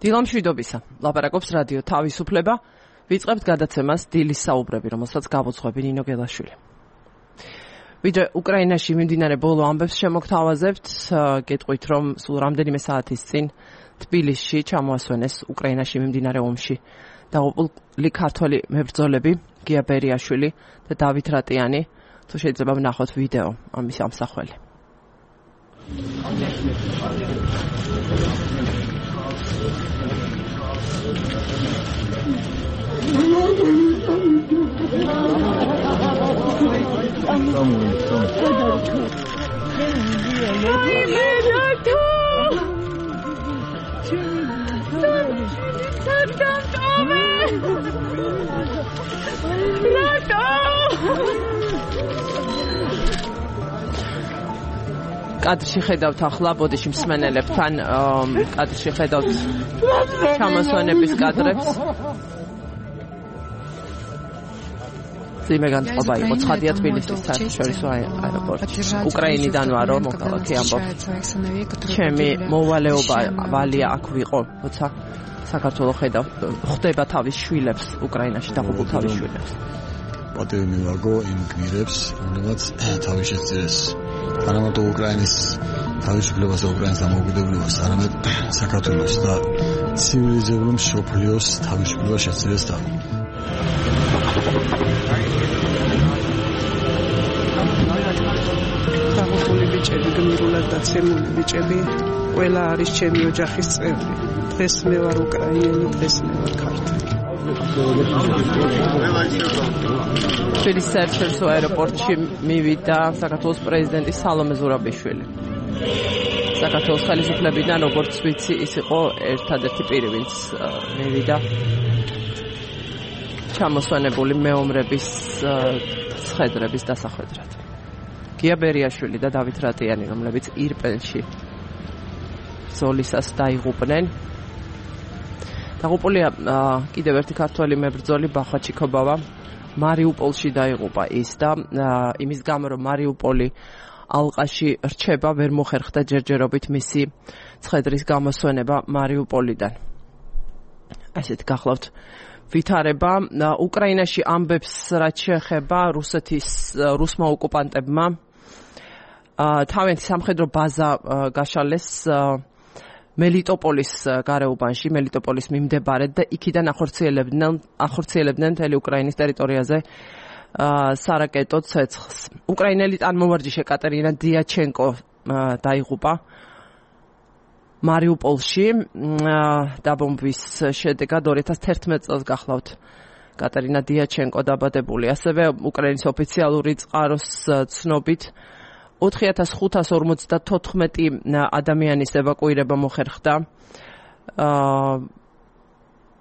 დილამშვიდობისა. ლაპარაკობს რადიო თავისუფლება. ვიწყებთ გადაცემას დილის საუბრები, რომელსაც გავუძღვები ნინო გელაშვილი. ვიდრე უკრაინაში მიმდინარე ბოლო ამბებს შემოგთავაზებთ, გეტყვით, რომ სულ რამდენიმე საათის წინ თბილისში ჩამოასვენეს უკრაინაში მიმდინარე ომში დაღუპული ქართველი მებრძოლები გია ბერიაშვილი და დავით რატიანი. თუ შეიძლება ვნახოთ ვიდეო ამის ამსახველი. კადრში ხედავთ ახლა ბოდიში მსმენელებთან კადრში ხედავთ ჩამოსვენების კადრებს. ძიმე განწყობა იყო ცხადია თბილისის საერთაშორისო აეროპორტში. უკრაინიდან ვარო მოქალაქე ამბობ. ჩემი მოვალეობა ვალია აქ ვიყო, როცა საქართველოს ხვდება თავის შვილებს უკრაინაში დაღუპულ თავის შვილებს. პატივი მივაგო იმ გმირებს, რომლებიც თავის შეწირეს არამარტო უკრაინის თავისუფლებას და უკრაინის დამოუკიდებლობას, არამედ საქართველოს და ცივილიზებული მსოფლიოს თავისუფლებას შეწირეს და დაღუპული ბიჭები, გმირულად დაცემული ბიჭები, ყველა არის ჩემი ოჯახის წევრი. დღეს მე ვარ უკრაინელი, დღეს მე ვარ ქართველი. თბილისის საერთაშორისო აეროპორტში მივიდა საქართველოს პრეზიდენტი სალომე ზურაბიშვილი. საქართველოს ხელისუფლებიდან, როგორც ვიცი, ის იყო ერთადერთი პირი, ვინც მივიდა ჩამოსვენებული მეომრების ცხედრების დასახვედრად. გია ბერიაშვილი და დავით რატიანი, რომლებიც ირპენში ბრძოლისას დაიღუპნენ. დაღუპულია კიდევ ერთი ქართველი მებრძოლი ბახვა ჩიქობავა. მარიუპოლში დაიღუპა ის და იმის გამო, რომ მარიუპოლი ალყაში რჩება, ვერ მოხერხდა ჯერჯერობით მისი ცხედრის გამოსვენება მარიუპოლიდან. ასეთ გახლავთ ვითარება. უკრაინაში ამბებს რაც შეეხება რუსმა ოკუპანტებმა თავიანთი სამხედრო ბაზა გაშალეს მელიტოპოლის გარეუბანში, მელიტოპოლის მიმდებარედ და იქიდან ახორციელებდნენ მთელი უკრაინის ტერიტორიაზე სარაკეტო ცეცხლს. უკრაინელი ტანმოვარჯიშე კატერინა დიაჩენკო დაიღუპა მარიუპოლში დაბომბვის შედეგად 2011 წელს გახლავთ კატერინა დიაჩენკო დაბადებული. ასევე უკრაინის ოფიციალური წყაროს ცნობით 4554 ადამიანის ევაკუირება მოხერხდა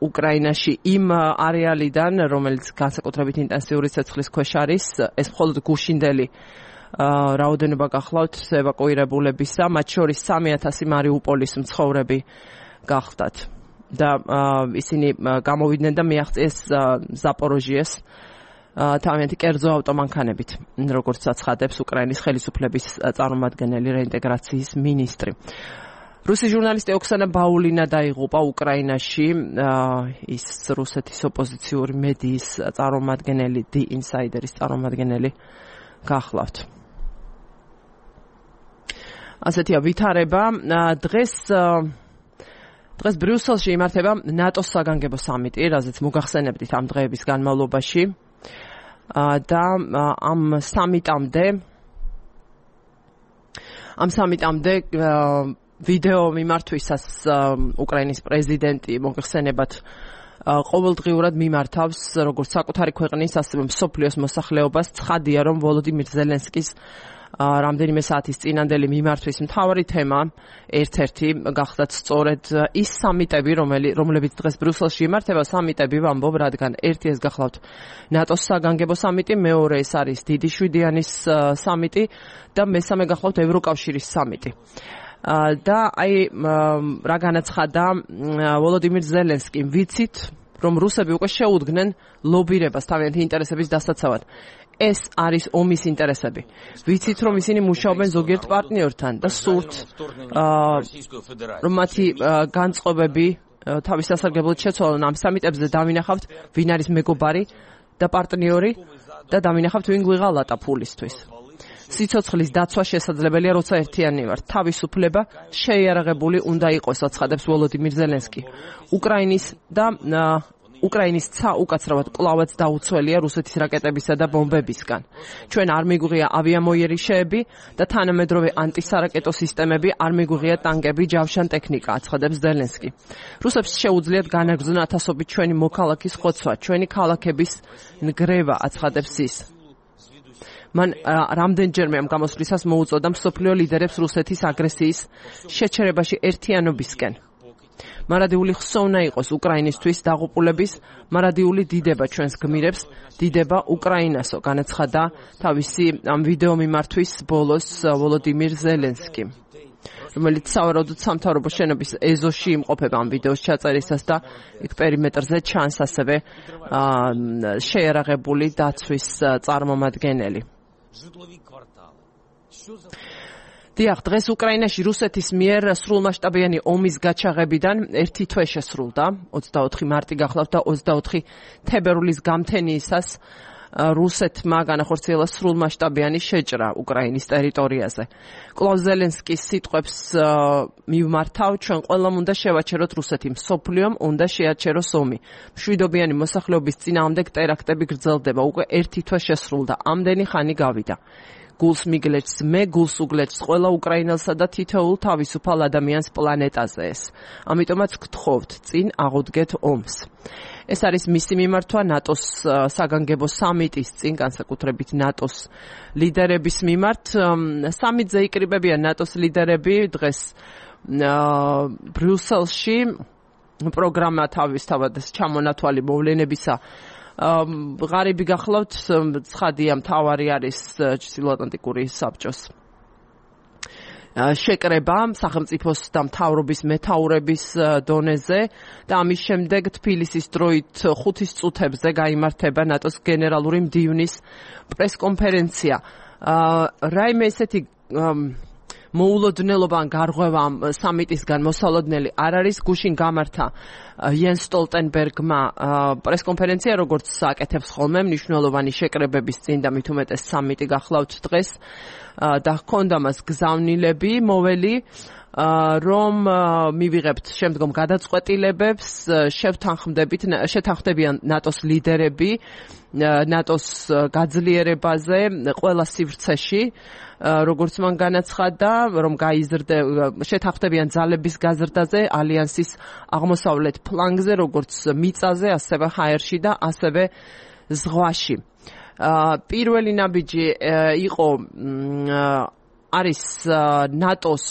უკრაინაში იმ არეალიდან, რომელიც განსაკუთრებით ინტენსიური ცეცხლის ქვეშ არის. ეს მხოლოდ გუშინდელი რაოდენობა გახლავთ ევაკუირებულებისა, მათ შორის 3000 მარიუპოლის მცხოვრები გახლდათ და ისინი გამოვიდნენ და მიაღწიეს ზაპოროჟიეს თავიანთი კერძო ავტომანქანებით, როგორც აცხადებს უკრაინის ხელისუფლების წარმომადგენელი რეინტეგრაციის მინისტრი. რუსი ჟურნალისტი ოქსანა ბაულინა დაიღუპა უკრაინაში. ის რუსეთის ოპოზიციური მედიის წარმომადგენელი, The Insider-ის წარმომადგენელი გახლავთ. ასეთია ვითარება. დღეს ბრიუსელში იმართება ნატოს საგანგებო სამიტი, რაზეც მოგახსენებდით ამ დღეების განმავლობაში. და ამ სამიტამდე ვიდეო მიმართვისას უკრაინის პრეზიდენტი მოგხსენებათ ყოველდღიურად მიმართავს როგორც საკუთარი ქვეყნის, ასევე მსოფლიოს მოსახლეობას. ცხადია, რომ ვოლოდიმირ ზელენსკის რამდენიმე საათის წინანდელი მიმართვის მთავარი თემა ერთ-ერთი გახდათ სწორედ ის სამიტები, რომლებიც დღეს ბრიუსელში იმართება, სამიტები ვამბობ, რადგან ერთი ეს გახლავთ ნატოს საგანგებო სამიტი, მეორე ეს არის დიდი შვიდიანის სამიტი და მესამე გახლავთ ევროკავშირის სამიტი. და აი რა განაცხადა ვოლოდიმირ ზელენსკიმ, ვიცით, რომ რუსები უკვე შეუდგნენ ლობირებას თავიანთი ინტერესების დასაცავად. ეს არის ომის ინტერესები. ვიცით, რომ ისინი მუშაობენ ზოგიერთ პარტნიორთან და სურთ, რომ მათი განწყობები თავის სასარგებლოდ შეცვალონ ამ სამიტებზე დავინახავთ ვინ არის მეგობარი და პარტნიორი და დავინახავთ ვინ გვიღალატა ფულისთვის. სიცოცხლის დაცვა შესაძლებელია, როცა ერთიანი ვართ. თავისუფლება შეიარაღებული უნდა იყოს, აცხადებს ვოლოდიმირ ზელენსკი. უკრაინის ცა უკაცრავად კვლავაც დაუცველია რუსეთის რაკეტებისა და ბომბებისგან. ჩვენ არ მიგვიღია ავიამოიერიშეები და თანამედროვე ანტისარაკეტო სისტემები, არ მიგვიღია ტანკები, ჯავშან ტექნიკა, აცხადებს ზელენსკი. რუსებს შეუძლიათ განაგრძონ ათასობით ჩვენი მოქალაქის ხოცვა, ჩვენი ქალაქების ნგრევა, აცხადებს ის. მან რამდენჯერმე ამ გამოსვლისას მოუწოდა მსოფლიო ლიდერებს რუსეთის აგრესიის შეჩერებაში ერთიანობისკენ. მარადიული ხსოვნა იყოს უკრაინისთვის დაღუპულების, მარადიული დიდება ჩვენს გმირებს, დიდება უკრაინასო, განაცხადა თავისი ამ ვიდეო მიმართვის ბოლოს ვოლოდიმირ ზელენსკი, რომელიც სავარაუდოდ სამთავრობო შენობის ეზოში იმყოფება ამ ვიდეოს ჩაწერისას და იქ პერიმეტრზე ჩანს ასევე შეიარაღებული დაცვის წარმომადგენელი. დიახ, დღეს უკრაინაში რუსეთის მიერ სრულმასშტაბიანი ომის გაჩაღებიდან 1 თვე შესრულდა, 24 მარტი გახლავთ და 24 თებერვლის გამთენიისას რუსეთმა განახორციელა სრულმასშტაბიანი შეჭრა უკრაინის ტერიტორიაზე. კვლავ ზელენსკის სიტყვებს მივმართავ, ჩვენ ყველამ უნდა შევაჩეროთ რუსეთი, მსოფლიომ უნდა შეაჩეროს ომი. მშვიდობიანი მოსახლეობის წინააღმდეგ ტერაქტები გრძელდება, უკვე 1 თვე შესრულდა, ამდენი ხანი გავიდა. გულს მიგლეჭს მე, გულს უგლეჭს ყველა უკრაინელსა და თითოეულ თავისუფალ ადამიანს პლანეტაზე ეს. ამიტომაც გთხოვთ, წინ აღუდგეთ ომს. ეს არის მისი მიმართვა ნატოს საგანგებო სამიტის წინ, განსაკუთრებით ნატოს ლიდერების მიმართ. სამიტზე იკრიბებიან ნატოს ლიდერები დღეს ბრიუსელში. პროგრამა თავისთავად ჩამონათვალი მოვლენებისა ღარიბი გახლავთ, ცხადია მთავარი არის ჩრდილოატლანტიკური საბჭოს შეკრება სახელმწიფოს და მთავრობის მეთაურების დონეზე და ამის შემდეგ თბილისის დროით 5 წუთებზე გაიმართება ნატოს გენერალური მდივნის პრესკონფერენცია. რაიმე ესეთი მოულოდნელობა ან გარღვევა სამიტისგან მოსალოდნელი არ არის. გუშინ გამართა იენს სტოლტენბერგმა პრესკონფერენცია, როგორც აკეთებს ხოლმე მნიშვნელოვანი შეკრებების წინ და მით უმეტეს სამიტი გახლავთ დღეს და ჰქონდა მას გზავნილები მოველი, რომ მივიღებთ შემდგომ გადაწყვეტილებებს, შეთანხმდებიან ნატოს ლიდერები ნატოს გაძლიერებაზე ყველა სივრცეში, როგორც მან განაცხადა, რომ შეთანხმდებიან ძალების გაზრდაზე ალიანსის აღმოსავლეთ ფლანგზე, როგორც მიწაზე, ასევე ჰაერში და ასევე ზღვაში. პირველი ნაბიჯი იყო არის ნატოს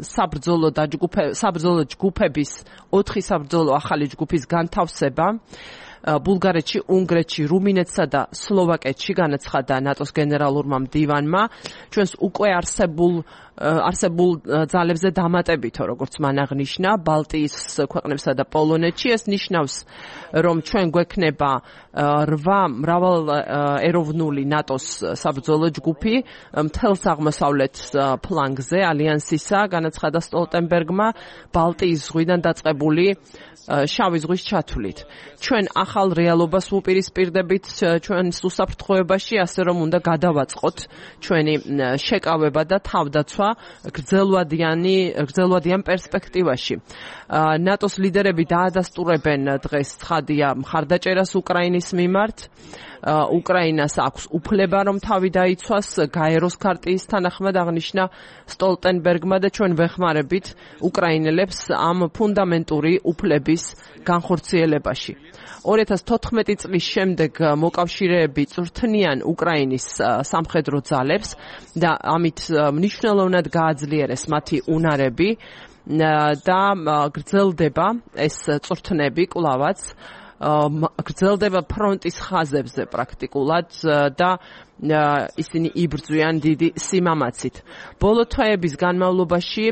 საბრძოლო ჯგუფების 4 საბრძოლო ახალი ჯგუფის განთავსება ბულგარეთში, უნგრეთში, რუმინეთსა და სლოვაკეთში, განაცხადა ნატოს გენერალურმა მდივანმა. ჩვენს უკვე არსებულ ძალებზე დამატებითო, როგორც მან აღნიშნა, ბალტიის ქვეყნებსა და პოლონეთში. ეს ნიშნავს, რომ ჩვენ გვექნება 8 მრავალეროვნული ნატოს საბრძოლო ჯგუფი მთელს აღმოსავლეთ ფლანგზე ალიანსისა, განაცხადა სტოლტენბერგმა, ბალტიის ზღვიდან დაწყებული შავი ზღვის ჩათვლით. ჩვენ ახალ რეალობას ვუპირისპირდებით ჩვენს უსაფრთხოებაში, ასე რომ უნდა გადავაწყოთ ჩვენი შეკავება და თავდაცვა გრძელვადიან პერსპექტივაში. ნატოს ლიდერები დაადასტურებენ დღეს ცხადია მხარდაჭერას უკრაინის მიმართ. უკრაინას აქვს უფლება, რომ თავი დაიცვას, გაეროს ქარტიის თანახმად აღნიშნა სტოლტენბერგმა და ჩვენ ვეხმარებით უკრაინელებს ამ ფუნდამენტური უფლების განხორციელებაში. 2014 წლის შემდეგ მოკავშირეები წვრთნიან უკრაინის სამხედრო ძალებს და ამით მნიშვნელოვნად გააძლიერეს მათი უნარები და გრძელდება ეს წვრთნები კვლავაც. გრძელდება ფრონტის ხაზებზე პრაქტიკულად და ისინი იბრძვიან დიდი სიმამაცით. ბოლო თვეების განმავლობაში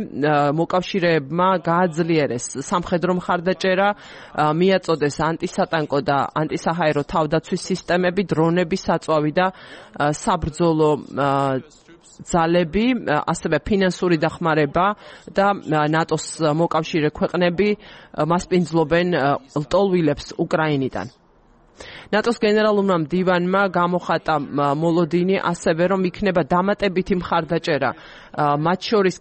მოკავშირეებმა გააძლიერეს სამხედრო მხარდაჭერა, მიაწოდეს ანტისატანკო და ანტისაჰაერო თავდაცვის სისტემები, დრონები, საწვავი და საბრძოლო ძალები, ასევე ფინანსური დახმარება და ნატოს მოკავშირე ქვეყნები მასპინძლობენ ლტოლვილებს უკრაინიდან. ნატოს გენერალურმა მდივანმა გამოხატა მოლოდინი ასევე რომ იქნება დამატებითი მხარდაჭერა მათ შორის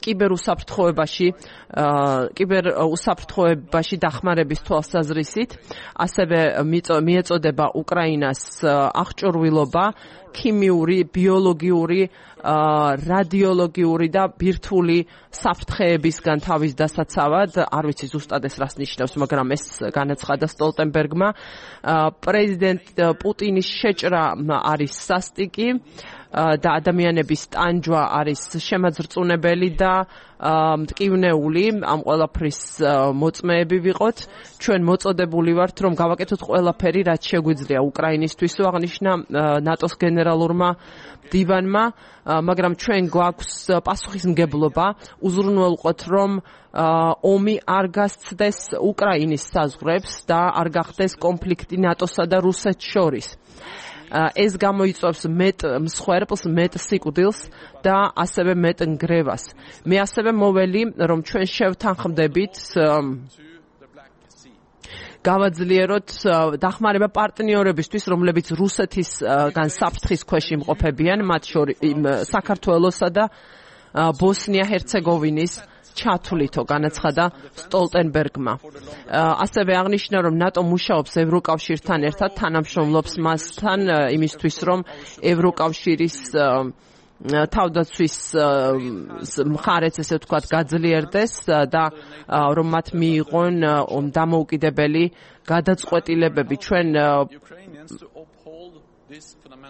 კიბერუსაფრთხოებაში დახმარების თვალსაზრისით, ასევე მიეწოდება უკრაინას აღჭურვილობა ქიმიური, ბიოლოგიური, რადიოლოგიური და ბირთვული საფრთხეებისგან თავის დასაცავად. არ ვიცი ზუსტად ეს რას ნიშნავს, მაგრამ ეს განაცხადა სტოლტენბერგმა. პრეზიდენტ პუტინის შეჭრა არის სასტიკი და ადამიანების ტანჯვა არის შემაძრწუნებელი და მტკივნეული. ამ ყველაფრის მოწმეები ვიყოთ. ჩვენ მოწოდებული ვართ, რომ გავაკეთოთ ყველაფერი, რაც შეგვიძლია უკრაინისთვის, აღნიშნა ნატოს გენერალურმა მდივანმა, მაგრამ ჩვენ გვაქვს პასუხისმგებლობა უზრუნველყოთ, რომ ომი არ გასცდეს უკრაინის საზღვრებს და არ გახდეს კონფლიქტი ნატოსა და რუსეთს შორის. ეს გამოიწვევს მეტ მსხვერპლს, მეტ სიკვდილს და ასევე მეტ ნგრევას. მე ასევე მოველი, რომ ჩვენ შევთანხმდებით გავაძლიეროთ დახმარება პარტნიორებისთვის, რომლებიც რუსეთისგან საფრთხის ქვეშ იმყოფებიან, მათ შორის საქართველოსა და ბოსნია-ჰერცეგოვინის ჩათვლითო განაცხადა სტოლტენბერგმა. ასევე აღნიშნა, რომ ნატო მუშაობს ევროკავშირთან ერთად, თანამშრომლობს მასთან იმისთვის, რომ ევროკავშირის თავდაცვის მხარეც ესე ვთქვათ გაძლიერდეს და რომ მათ მიიღონ დამოუკიდებელი გადაწყვეტილებები. ჩვენ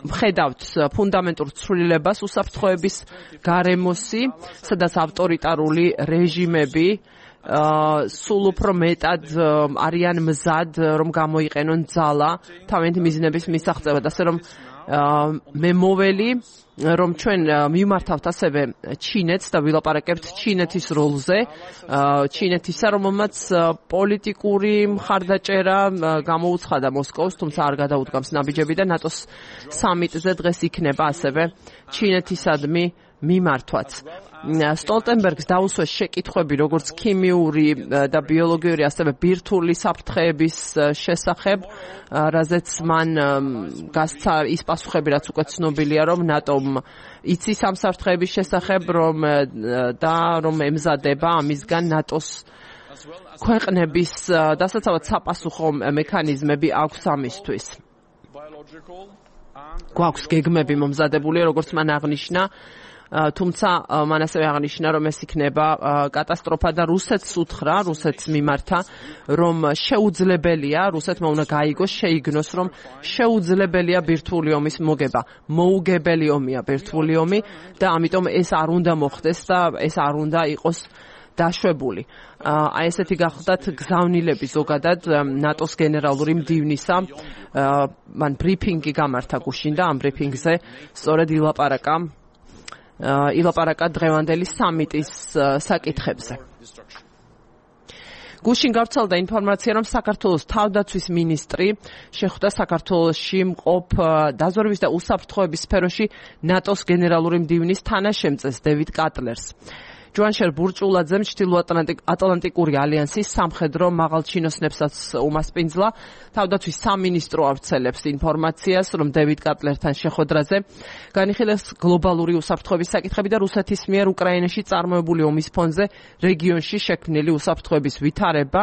ვხედავთ ფუნდამენტურ ცვლილებას უსაფრთხოების გარემოსი, სადაც ავტორიტარული რეჟიმები სულ უფრო მეტად არიან მზად, რომ გამოიყენონ ძალა თავიანთი მიზნების მისაღწევად. ასე რომ მე მოველი, რომ ჩვენ მიმართავთ ასევე ჩინეთს და ვილაპარაკებთ ჩინეთის როლზე, ჩინეთისა, რომელმაც პოლიტიკური მხარდაჭერა გამოუცხადა მოსკოვს, თუმცა არ გადაუდგამს ნაბიჯები და ნატოს სამიტზე დღეს იქნება ასევე ჩინეთისადმი მიმართვაც. სტოლტენბერგს დაუსვეს შეკითხვები როგორც ქიმიური და ბიოლოგიური, ასევე ბირთვული საფრთხეების შესახებ, რაზეც მან გასცა ის პასუხები, რაც უკვე ცნობილია, რომ ნატომ იცის ამ საფრთხეების შესახებ, რომ ემზადება ამისგან ნატოს ქვეყნების დასაცავად sapasukho მექანიზმები აქვს ამისთვის. გვაქვს გეგმები მომზადებული, როგორც მან აღნიშნა, თუმცა მან ასევე აღნიშნა, რომ ეს იქნება კატასტროფა და რუსეთს უთხრა, რუსეთს მიმართა, რომ შეუძლებელია, რუსეთმა უნდა გაიგოს, შეიგნოს, რომ შეუძლებელია ბირთვული ომის მოგება. მოუგებელი ომია ბირთვული ომი და ამიტომ ეს არ უნდა მოხდეს და ეს არ უნდა იყოს დაშვებული. აი ესეთი გახლდათ გზავნილები ზოგადად ნატოს გენერალური მდივნისა. მან ბრიფინგი გამართა გუშინ და ამ ბრიფინგზე სწორედ ილაპარაკა დღევანდელი სამიტის საკითხებზე. გუშინ გავრცელდა ინფორმაცია, რომ საქართველოს თავდაცვის მინისტრი შეხვდა საქართველოში მყოფ დაზვერვის და უსაფრთხოების სფეროში ნატოს გენერალური მდივნის თანაშემწეს დევიდ კატლერს. ჯუანშერ ბურჭულაძემ ჩრდილოატლანტიკური ალიანსის სამხედრო მაღალჩინოსნებსაც უმასპინძლა. თავდაცვის სამინისტრო ავრცელებს ინფორმაციას, რომ დევიდ კატლერთან შეხვედრაზე განიხილეს გლობალური უსაფრთხოების საკითხები და რუსეთის მიერ უკრაინაში წარმოებული ომის ფონზე რეგიონში შექმნილი უსაფრთხოების ვითარება.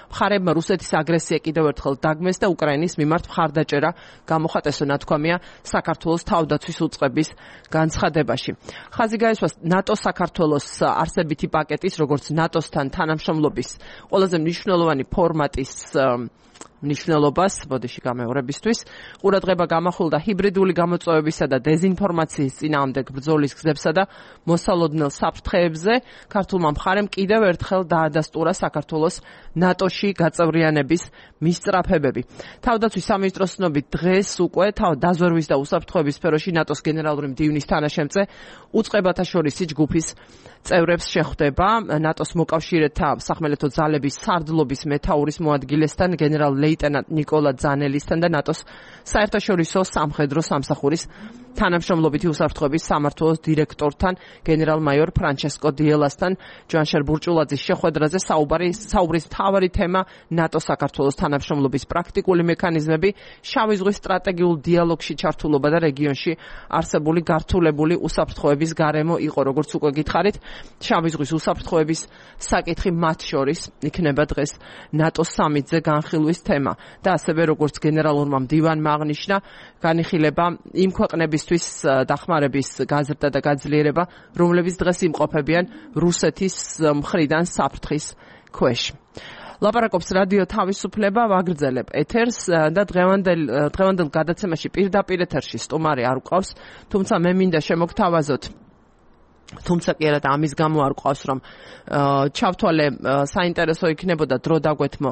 მხარეებმა რუსეთის აგრესია კიდევ ერთხელ დაგმეს და უკრაინის მიმართ მხარდაჭერა გამოხატეს, ნათქვამია საქართველოს თავდაცვის უწყების განცხადებაში. ხაზი გაესვა ნატო საქართველოს არსებითი პაკეტის, როგორც ნატოსთან თანამშრომლობის ყველაზე მნიშვნელოვანი ფორმატის მნიშვნელობას, ბოდიში გამეორებისთვის, ყურადღება გამახვილდა ჰიბრიდული გამოწვევებისა და დეზინფორმაციის წინააღმდეგ ბრძოლის გზებსა და მოსალოდნელ საფრთხეებზე. ქართულმა მხარემ კიდევ ერთხელ დაადასტურა საქართველოს ნატოში გაწევრიანების მისწრაფებები. თავდაცვის სამინისტროს ცნობით დღეს უკვე დაზვერვის და უსაფრთხოების სფეროში ნატოს გენერალური მდივნის თანაშემწე უწყებათა შორისი ჯგუფის წევრებს შეხვდება. ნატოს მოკავშირეთა სახმელეთო ძალების სარდლობის მეთაურის მოადგილესთან გენერალ ლეიტენანტ ნიკოლა ძანელისთან და ნატოს საერთაშორისო სამხედრო სამსახურის თანამშრომლობითი უსაფრთხოების სამმართველოს დირექტორთან გენერალ-მაიორ ფრანჩესკო დიელასთან ჯანშერ ბურჭულაძის შეხვედრაზე საუბრის მთავარი თემა ნატოს საქართველოს თანამშრომლობის პრაქტიკული მექანიზმები, შავი ზღვის სტრატეგიულ დიალოგში ჩართულობა და რეგიონში არსებული გართულებული უსაფრთხოების გარემო იყო, როგორც უკვე გითხარით, შავი ზღვის უსაფრთხოების საკითხი მათ შორის იქნება დღეს ნატოს სამიტზე განხილვის თემა და ასევე როგორც გენერალურმა მდივანმა აღნიშნა, განიხილება იმ ქვეყნებისთვის დახმარების გაზრდა და გაძლიერება, რომლებიც დღეს იმყოფებიან რუსეთის მხრიდან საფრთხის ქვეშ. ლაპარაკობს რადიო თავისუფლება, ვაგრძელებ ეთერს და დღევანდელ გადაცემაში პირდაპირ ეთერში სტუმარი არ ვყავს, თუმცა მე მინდა შემოგთავაზოთ თუმცა კი არა და ამის გამო არ ყავს რომ ჩავთვალე საინტერესო იქნებოდა დრო დაგვეთმო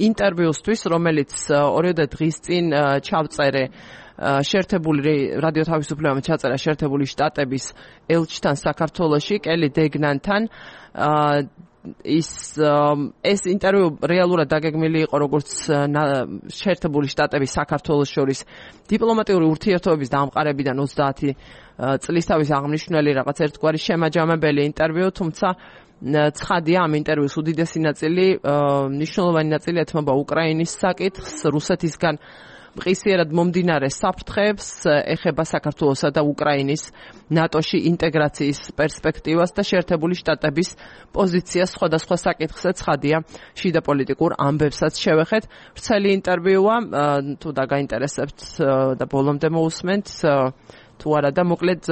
ინტერვიუსთვის, რომელიც 2 დღის წინ ჩავწერე შეერთებული რადიო თავისუფლებამ ჩაწერა შეერთებული შტატების ელჩთან საქართველოში, კელი დეგნანთან. ეს ინტერვიუ რეალურად დაგეგმილი იყო როგორც შეერთებული შტატების საქართველოს შორის დიპლომატიური ურთიერთობების დამყარებიდან 30 წლის თავის აღნიშნული რაღაც ერთგვარი შემაჯამებელი ინტერვიუ, თუმცა ცხადია ამ ინტერვიუს უდიდესი ნაწილი, მნიშვნელოვანი ნაწილი ეთმობა უკრაინის საკითხს, რუსეთისგან მყისიერად მომდინარე საფრთხეებს, ეხება საქართველოსა და უკრაინის ნატოში ინტეგრაციის პერსპექტივას და შეერთებული შტატების პოზიციას სხვადასხვა საკითხზე. ცხადია, შიდა პოლიტიკურ ამბებსაც შევეხეთ. ვრცელი ინტერვიუა, თუ დაგაინტერესებთ და ბოლომდე მოусმენთ, თუ არა და მოკლედ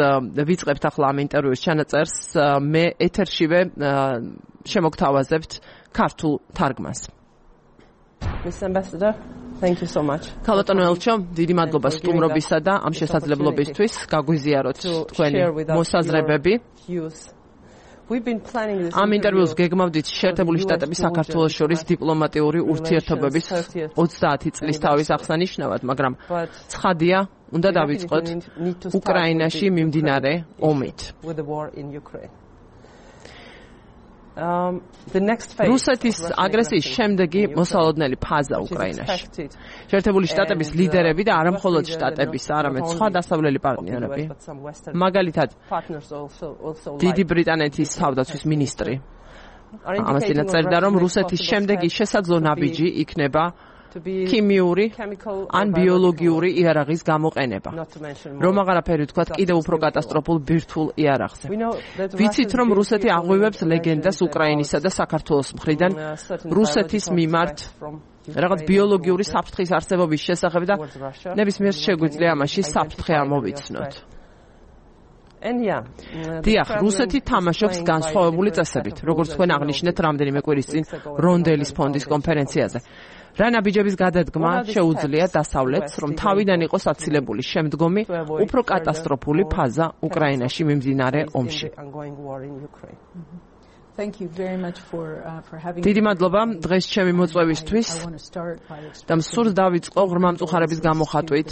ვიწყებთ ახლა ამ ინტერვიუს ჩანაწერს, მე ეთერშივე შემოგთავაზებთ ქართულ თარგმანს. Miss Ambassador, thank you so much. ქალბატონო ელჩო, დიდი მადლობა სტუმრობისა და ამ შესაძლებლობისთვის გაგვიზიაროთ თქვენი მოსაზრებები. ამ ინტერვიუს გეგმავდით შეერთებული შტატების საქართველოს შორის დიპლომატიური ურთიერთობების 30 წლის თავის აღსანიშნავად, მაგრამ ცხადია, უნდა დავიწყოთ უკრაინაში მიმდინარე ომით. რუსეთის აგრესიის შემდეგი მოსალოდნელი ფაზა უკრაინაში. შეერთებული შტატების ლიდერები და არა მხოლოდ შტატების, არამედ სხვა დასავლელი პარტნიორები, მაგალითად დიდი ბრიტანეთის თავდაცვის მინისტრი ამას წინაწერდა, რომ რუსეთის შემდეგი შესაძლო ნაბიჯი იქნება ქიმიური ან ბიოლოგიური იარაღის გამოყენება. რომ აღარაფერი ვთქვათ კიდევ უფრო კატასტროფულ ბირთვულ იარაღზე. ვიცით, რომ რუსეთი აღვივებს ლეგენდას უკრაინისა და საქართველოს მხრიდან რუსეთის მიმართ რაღაც ბიოლოგიური საფრთხის არსებობის შესახებ და ნებისმიერ შეგვიძლია ამაში საფრთხე ამოვიცნოთ. დიახ, რუსეთი თამაშობს განსხვავებული წესებით, როგორც თქვენ აღნიშნეთ რამდენიმე კვირის წინ რონდელის ფონდის კონფერენციაზე. რა ნაბიჯების გადადგმა შეუძლია დასავლეთს, რომ თავიდან იყოს აცილებული შემდგომი, უფრო კატასტროფული ფაზა უკრაინაში მიმდინარე ომში. დიდი მადლობა დღეს ჩემი მოწვევისთვის და მსურს დავიწყო ღრმა მწუხარების გამოხატვით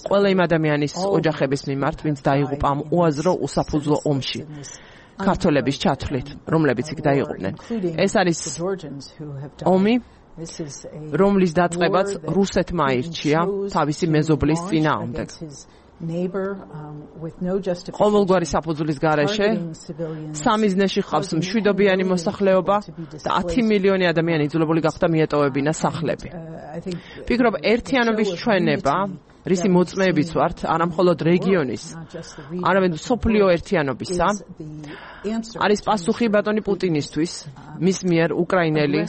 ყველა იმ ადამიანის ოჯახების მიმართ, ვინც დაიღუპა ამ უაზრო უსაფუძვლო ომში. ქართველების ჩათვლით, რომლებიც იქ დაიღუპნენ. ეს არის ომი, რომლის დაწყებაც რუსეთმა აირჩია თავისი მეზობლის წინააღმდეგ. ყოველგვარი საფუძვლის გარეშე სამიზნეში ხავს მშვიდობიანი მოსახლეობა და 10 მილიონი ადამიანი იძულებული გახდა მიეტოვებინა სახლები. ვფიქრობ, ერთიანობის ჩვენება, რისი მოწმეებიც ვართ, არა მხოლოდ რეგიონის, არამედ მსოფლიო ერთიანობისა, არის პასუხი ბატონი პუტინისთვის, მის მიერ უკრაინელი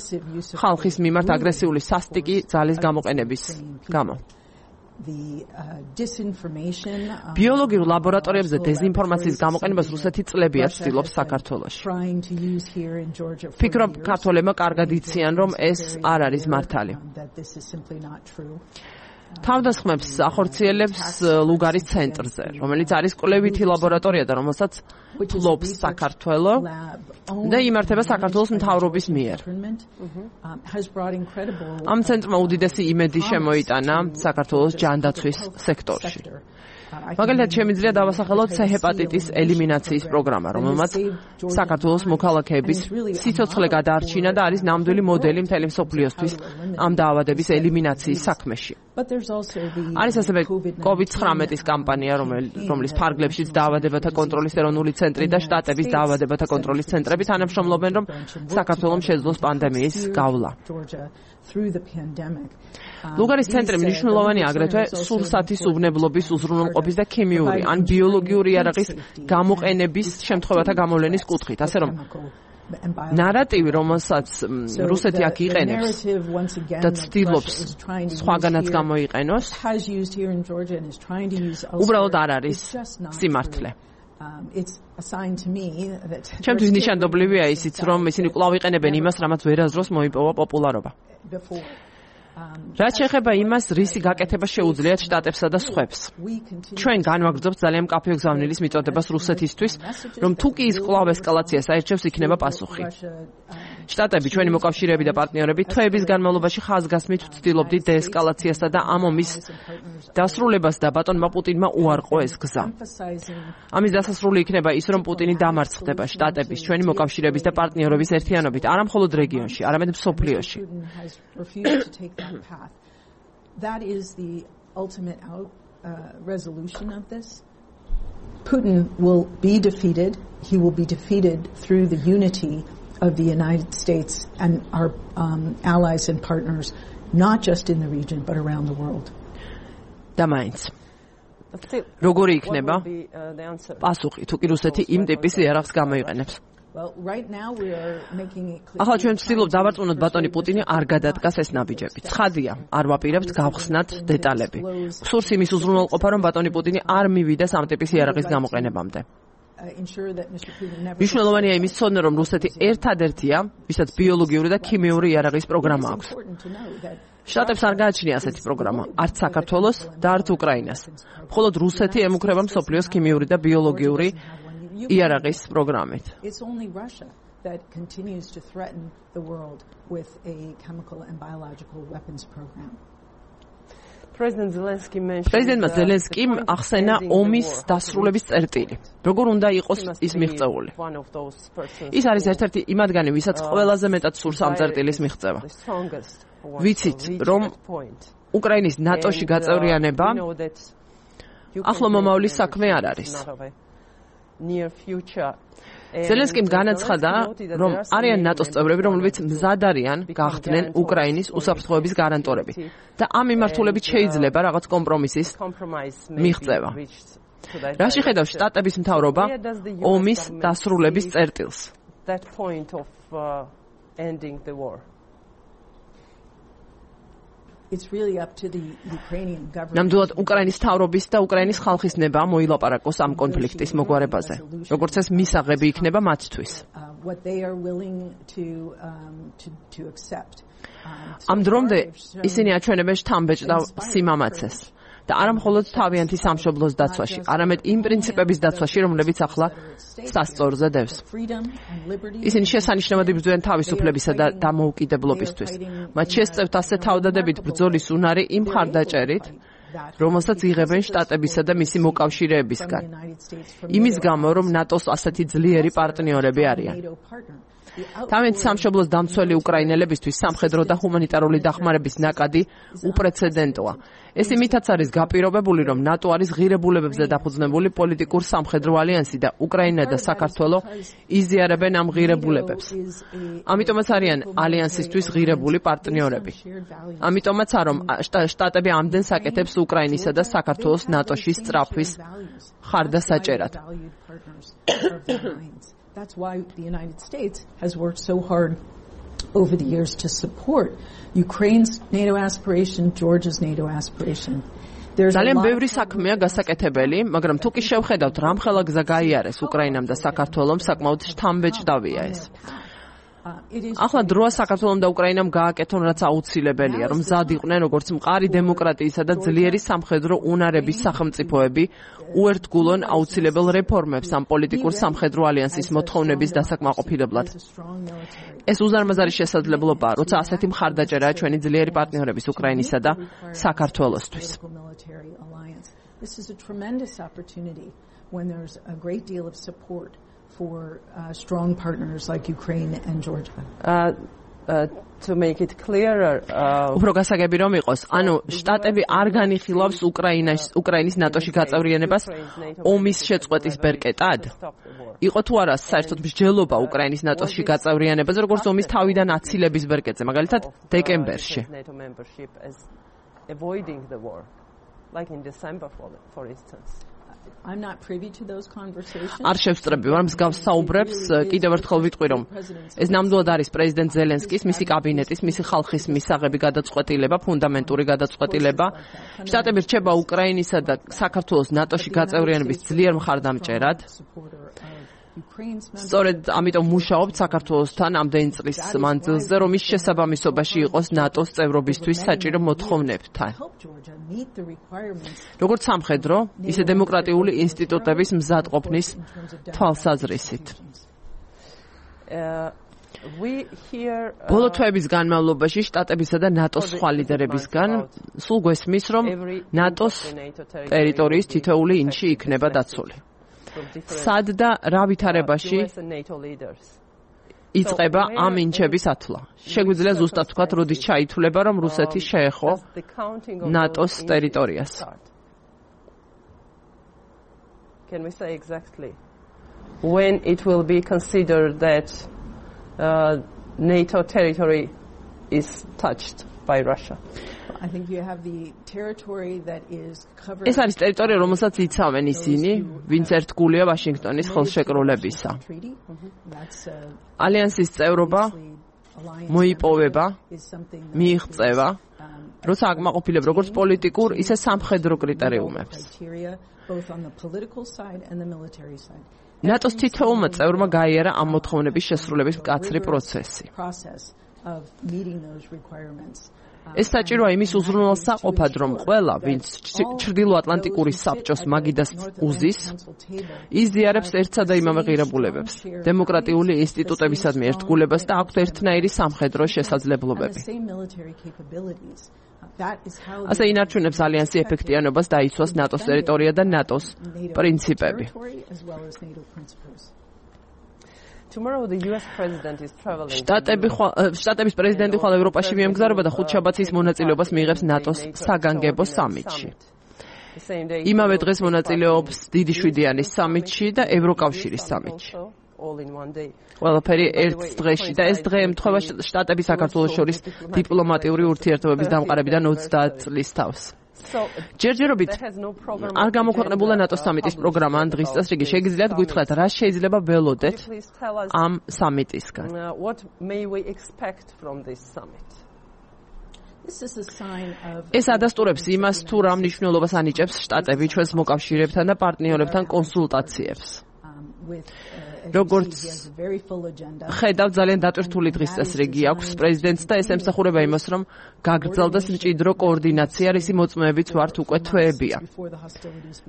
ხალხის მიმართ აგრესიული სასტიკი ძალის გამოყენების გამო. ბიოლოგიურ ლაბორატორიებზე დეზინფორმაციის გამოყენებას რუსეთი წლებია ცდილობს საქართველოში. ვფიქრობ, ქართველებმა კარგად იციან, რომ ეს არ არის მართალი. თავდასხმებს ახორციელებს ლუგარის ცენტრზე, რომელიც არის კვლევითი ლაბორატორია და რომელსაც ფლობს საქართველო და იმართება საქართველოს მთავრობის მიერ. ამ ცენტრმა უდიდესი იმედი შემოიტანა საქართველოს ჯანდაცვის სექტორში. მაგალითად, შემიძლია დავასახელოთ C-ჰეპატიტის ელიმინაციის პროგრამა, რომელმაც საქართველოს მოქალაქეების სიცოცხლე გადაარჩინა და არის ნამდვილი მოდელი მთელი მსოფლიოსთვის ამ დაავადების ელიმინაციის საქმეში. არის ასევე COVID-19 კამპანია, რომლის ფარგლებშიც დაავადებათა კონტროლის ეროვნული ცენტრი და შტატების დაავადებათა კონტროლის ცენტრები თანამშრომლობენ, რომ საქართველოს შეძლოს პანდემიის გავლა. ლუგარის ცენტრი მნიშვნელოვანი აგრეთვე სურსათის უვნებლობის, უზრუნველყოფის და ქიმიური ან ბიოლოგიური იარაღის გამოყენების შემთხვევათა გამოვლენის კუთხით, ასე რომ ნარატივი, რომელსაც რუსეთი აქ იყენებს და ცდილობს სხვაგანაც გამოიყენოს, უბრალოდ არ არის სიმართლე. ჩემთვის ნიშანდობლივია ისიც, რომ ისინი კვლავ იყენებენ იმას, რამაც ვერასდროს მოიპოვა პოპულარობა. რაც შეეხება იმას, რისი გაკეთება შეუძლიათ შტატებსა და სხვებს. ჩვენ განვაგრძობთ ძალიან მკაფიო გზავნილის მიწოდებას რუსეთისთვის, რომ თუ კი ის კვლავ ესკალაციას აირჩევს, იქნება პასუხი. შტატები, ჩვენი მოკავშირეები და პარტნიორები თვეების განმავლობაში ხაზგასმით ვცდილობდით დეესკალაციასა და ამ ომის დასრულებას და ბატონმა პუტინმა უარყო ეს გზა. ამის დასასრული იქნება ის, რომ პუტინი დამარცხდება შტატების, ჩვენი მოკავშირეების და პარტნიორების ერთიანობით, არა მხოლოდ რეგიონში, არამედ მსოფლიოში. That is the ultimate resolution of this. Putin will be defeated. He will be defeated through the unity of the United States and our allies and partners, not just in the region, but around the world. და მაინც როგორი იქნება პასუხი, თუ კი რუსეთი იმ ტიპის იარაღს გამოიყენებს? ახლა ჩვენ ვცდილობთ დავარწმუნოთ ბატონი პუტინი არ გადადგას ეს ნაბიჯები. ცხადია, არ ვაპირებთ გავხსნათ დეტალები. სურს იმის უზრუნველყოფა, რომ ბატონი პუტინი არ მივიდეს ამ ტიპის იარაღის გამოყენებამდე. მნიშვნელოვანია იმის ცოდნა, რომ რუსეთი ერთადერთია, ვისაც ბიოლოგიური და ქიმიური იარაღის პროგრამა აქვს. შტატებს არ გააჩნია ასეთი პროგრამა, არც საქართველოს და არც უკრაინას. მხოლოდ რუსეთი ემუქრება მსოფლიოს ქიმიური და ბიოლოგიური იარაღის პროგრამით. It's only Russia that continues to threaten the world with a chemical and biological weapons program. პრეზიდენტმა ზელენსკიმ ახსენა ომის დასრულების წერტილი. როგორ უნდა იყოს ის მიღწეული? ის არის ერთ-ერთი იმათგანი, ვისაც ყველაზე მეტად სურს ამ წერტილის მიღწევა. ვიცით, რომ უკრაინის ნატოში გაწევრიანება ახლო მომავლის საქმე არ არის. ზელენსკიმ განაცხადა, რომ არიან ნატოს წევრები, რომლებიც მზად არიან გახდნენ უკრაინის უსაფრთხოების გარანტორები და ამ მიმართულებით შეიძლება რაღაც კომპრომისის მიღწევა. რაში ხედავს შტატების მთავრობა ომის დასრულების წერტილს? ნამდვილად უკრაინის მთავრობის და უკრაინის ხალხის ნება მოილაპარაკოს ამ კონფლიქტის მოგვარებაზე, როგორც ეს მისაღები იქნება მათთვის. ამ დრომდე ისინი აჩვენებენ შთამბეჭდავ სიმამაცეს და არა მხოლოდ თავიანთი სამშობლოს დაცვაში, არამედ იმ პრინციპების დაცვაში, რომლებიც ახლა სასწორზე დევს. ისინი შესანიშნავად იბრძვიან თავისუფლებისა და დამოუკიდებლობისთვის. მათ შესწევთ ასე თავდადებით ბრძოლის უნარი იმ მხარდაჭერით, რომელსაც იღებენ შტატებისა და მისი მოკავშირეებისგან. იმის გამო, რომ ნატოს ასეთი ძლიერი პარტნიორები არიან. თავიანთი სამშობლოს დამცველი უკრაინელებისთვის სამხედრო და ჰუმანიტარული დახმარების ნაკადი უპრეცედენტოა. ეს იმითაც არის გაპირობებული, რომ ნატო არის ღირებულებებზე დაფუძნებული პოლიტიკურ სამხედრო ალიანსი და უკრაინა და საქართველო იზიარებენ ამ ღირებულებებს. ამიტომაც არიან ალიანსისთვის ღირებული პარტნიორები. ამიტომაც რომ შტატები ამდენ საკეთებს უკრაინისა და საქართველოს ნატოში სწრაფვის ხარდასაჭერად. That's why the United States has worked so hard over the years to support Ukraine's NATO aspiration, Georgia's NATO aspiration. ძალიან ბევრი საქმეა გასაკეთებელი, მაგრამ თუ კი შევხედავთ, რამხელა გზა გაიარეს უკრაინამ და საქართველომ, საკმაოდ შთამბეჭდავია ეს. ახლა დროა საქართველომ და უკრაინამ გააკეთონ, რაც აუცილებელია, რომ მზად იყვნენ როგორც მყარი დემოკრატიისა და ძლიერი სამხედრო უნარების სახელმწიფოები უერთგულონ აუცილებელ რეფორმებს ამ პოლიტიკურ სამხედრო ალიანსის მოთხოვნების დასაკმაყოფილებლად. ეს უზარმაზარი შესაძლებლობაა, როცა ასეთი მხარდაჭერაა ჩვენი ძლიერი პარტნიორების უკრაინისა და საქართველოსთვის. This is a tremendous opportunity when there's a great deal of support for strong partners like Ukraine and Georgia. To make it clearer, უფრო გასაგები რომ იყოს, ანუ შტატები არ განიხილავს უკრაინის ნატოში გაწევრიანებას ომის შეწყვეტის ბერკეტად. იყო თუ არა საერთოდ მსჯელობა უკრაინის ნატოში გაწევრიანებაზე, როგორც ომის თავიდან აცილების ბერკეტზე, მაგალითად დეკემბერში. Avoiding the war, like in December, for instance. I'm not privy to those conversations. არ შევსწრები ვარ მსგავს საუბრებს, კიდევ ერთხელ ვიტყვი რომ ეს ნამდვილად არის პრეზიდენტ ზელენსკის, მისი კაბინეტის, მისი ხალხის მისაღები გადაწყვეტილება, ფუნდამენტური გადაწყვეტილება. შტატები რჩება უკრაინისა და საქართველოს ნატოში გაწევრიანების ძლიერ მხარდამჭერად. სწორედ ამიტომ მუშაობთ საქართველოსთან ამდენი წლის მანძილზე, რომ ის შესაბამისობაში იყოს ნატოს წევრობისთვის საჭირო მოთხოვნებთან. როგორც სამხედრო, ისე დემოკრატიული ინსტიტუტების მზადყოფნის თვალსაზრისით. ბოლო თვეების განმავლობაში შტატებისა და ნატოს სხვა ლიდერებისგან სულ გვესმის, რომ ნატოს ტერიტორიის თითოეული ინჩი იქნება დაცული. სად და რა ვითარებაში იწყება ამ ინჩების ათვლა. შეგვიძლია ზუსტად ვთქვათ, როდის ჩაითვლება, რომ რუსეთი შეეხო ნატოს ტერიტორიას. Can we say exactly when it will be considered that NATO territory is touched by Russia? I think you have the territory that is covered. ეს არის ტერიტორია, რომელსაც იცავენ ისინი, ვინც ერთგულია ვაშინგტონის ხელშეკრულებისა. ალიანსის წევრობა მოიპოვება, მიიღწევა, როცა აკმაყოფილებ როგორც პოლიტიკურ, ისე სამხედრო კრიტერიუმებს. ნატოს თითოეულმა წევრმა გაიარა ამ მოთხოვნების შესრულების მკაცრი პროცესი. ეს საჭიროა იმის უზრუნველსაყოფად, რომ ყველა, ვინც ჩრდილოატლანტიკური საბჭოს მაგიდას უზის, იზიარებს ერთსა და იმავე ღირებულებებს, დემოკრატიული ინსტიტუტებისადმი ერთგულებას და აქვთ ერთნაირი სამხედრო შესაძლებლობები. ასე ინარჩუნებს ალიანსი ეფექტიანობას და იცვას ნატოს ტერიტორია და ნატოს პრინციპები. Tomorrow the US president is traveling. შტატების პრეზიდენტი ხვალ ევროპაში მიემგზავრება და ხუთშაბათის მონაწილეობას მიიღებს ნატოს საგანგებო სამიტში. იმავე დღეს მონაწილეობს დიდი შვიდიანის სამიტში და ევროკავშირის სამიტში. ყველაფერი ერთ დღეში და ეს დღე ემთხვევა შტატების საქართველოს შორის დიპლომატიური ურთიერთობების დამყარებიდან 30 წლის თავს. ჯერჯერობით არ გამოქვეყნებულა ნატოს სამიტის პროგრამა ან დღის წესრიგი. შეგიძლიათ გითხრათ, რა შეიძლება ველოდეთ ამ სამიტისგან? ეს ადასტურებს იმას, თუ რა მნიშვნელობას ანიჭებს შტატები ჩვენს მოკავშირეებთან და პარტნიორებთან კონსულტაციებს. როგორც ხედავ, ძალიან დატვირთული დღის წესრიგი აქვს პრეზიდენტს და ეს ემსახურება იმას, რომ გაგრძელდეს მჭიდრო კოორდინაცია, რისი მოწმეებიც ვართ უკვე თვეებია.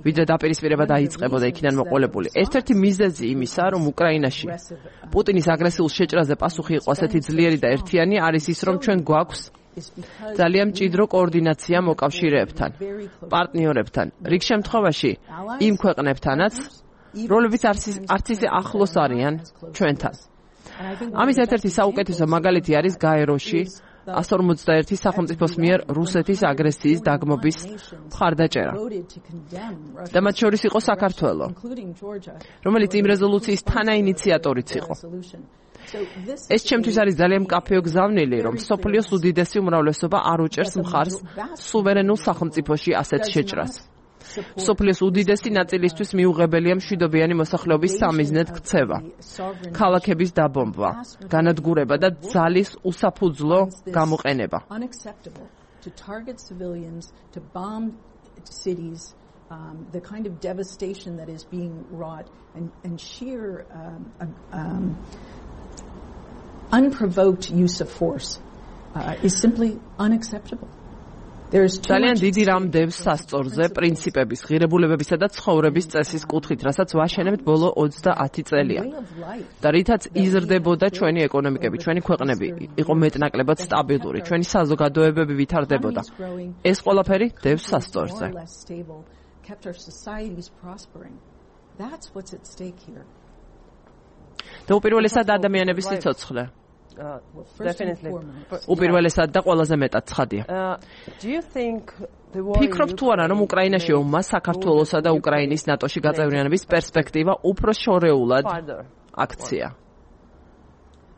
ვიდრე დაპირისპირება დაიწყებოდა იქიდან მოყოლებული. ერთ-ერთი მიზეზი იმისა, რომ უკრაინაში პუტინის აგრესიულ შეჭრაზე პასუხი იყო ასეთი ძლიერი და ერთიანი, არის ის, რომ ჩვენ გვაქვს ძალიან მჭიდრო კოორდინაცია მოკავშირეებთან, პარტნიორებთან, რიგ შემთხვევაში იმ ქვეყნებთანაც, როლებიც არც ისე ახლოს არიან ჩვენთან. ამის ერთ-ერთი საუკეთესო მაგალითი არის გაეროში 151 სახელმწიფოს მიერ რუსეთის აგრესიის დაგმობის მხარდაჭერა. და მათ შორის იყო საქართველო, რომელიც იმ რეზოლუციის თანაინიციატორიც იყო. ეს ჩემთვის არის ძალიან მკაფიო გზავნილი, რომ მსოფლიოს უდიდესი უმრავლესობა არ უჭერს მხარს სუვერენულ სახელმწიფოში ასეთ შეჭრას. მსოფლიოს უდიდესი ნაწილისთვის მიუღებელია მშვიდობიანი მოსახლეობის სამიზნედ ქცევა, ქალაქების დაბომბვა, განადგურება და ძალის უსაფუძვლო გამოყენება. The kind of devastation that is being wrought and sheer unprovoked use of force is simply unacceptable. ძალიან დიდი რამ დევს სასწორზე პრინციპების, ღირებულებებისა და ცხოვრების წესის კუთხით, რასაც ვაშენებთ ბოლო 30 წელია. და რითაც იზრდებოდა ჩვენი ეკონომიკები, ჩვენი ქვეყნები, იყო მეტნაკლებად სტაბილური, ჩვენი საზოგადოებები ვითარდებოდა. ეს ყველაფერი დევს სასწორზე. და უპირველესად ადამიანების სიცოცხლე. Definitely. უპირველესად და ყველაზე მეტად ცხადია. ფიქრობ თუ არა, რომ უკრაინაში ომმა საქართველოსა და უკრაინის ნატოში გაწევრიანების პერსპექტივა უფრო შორეულად აქცია.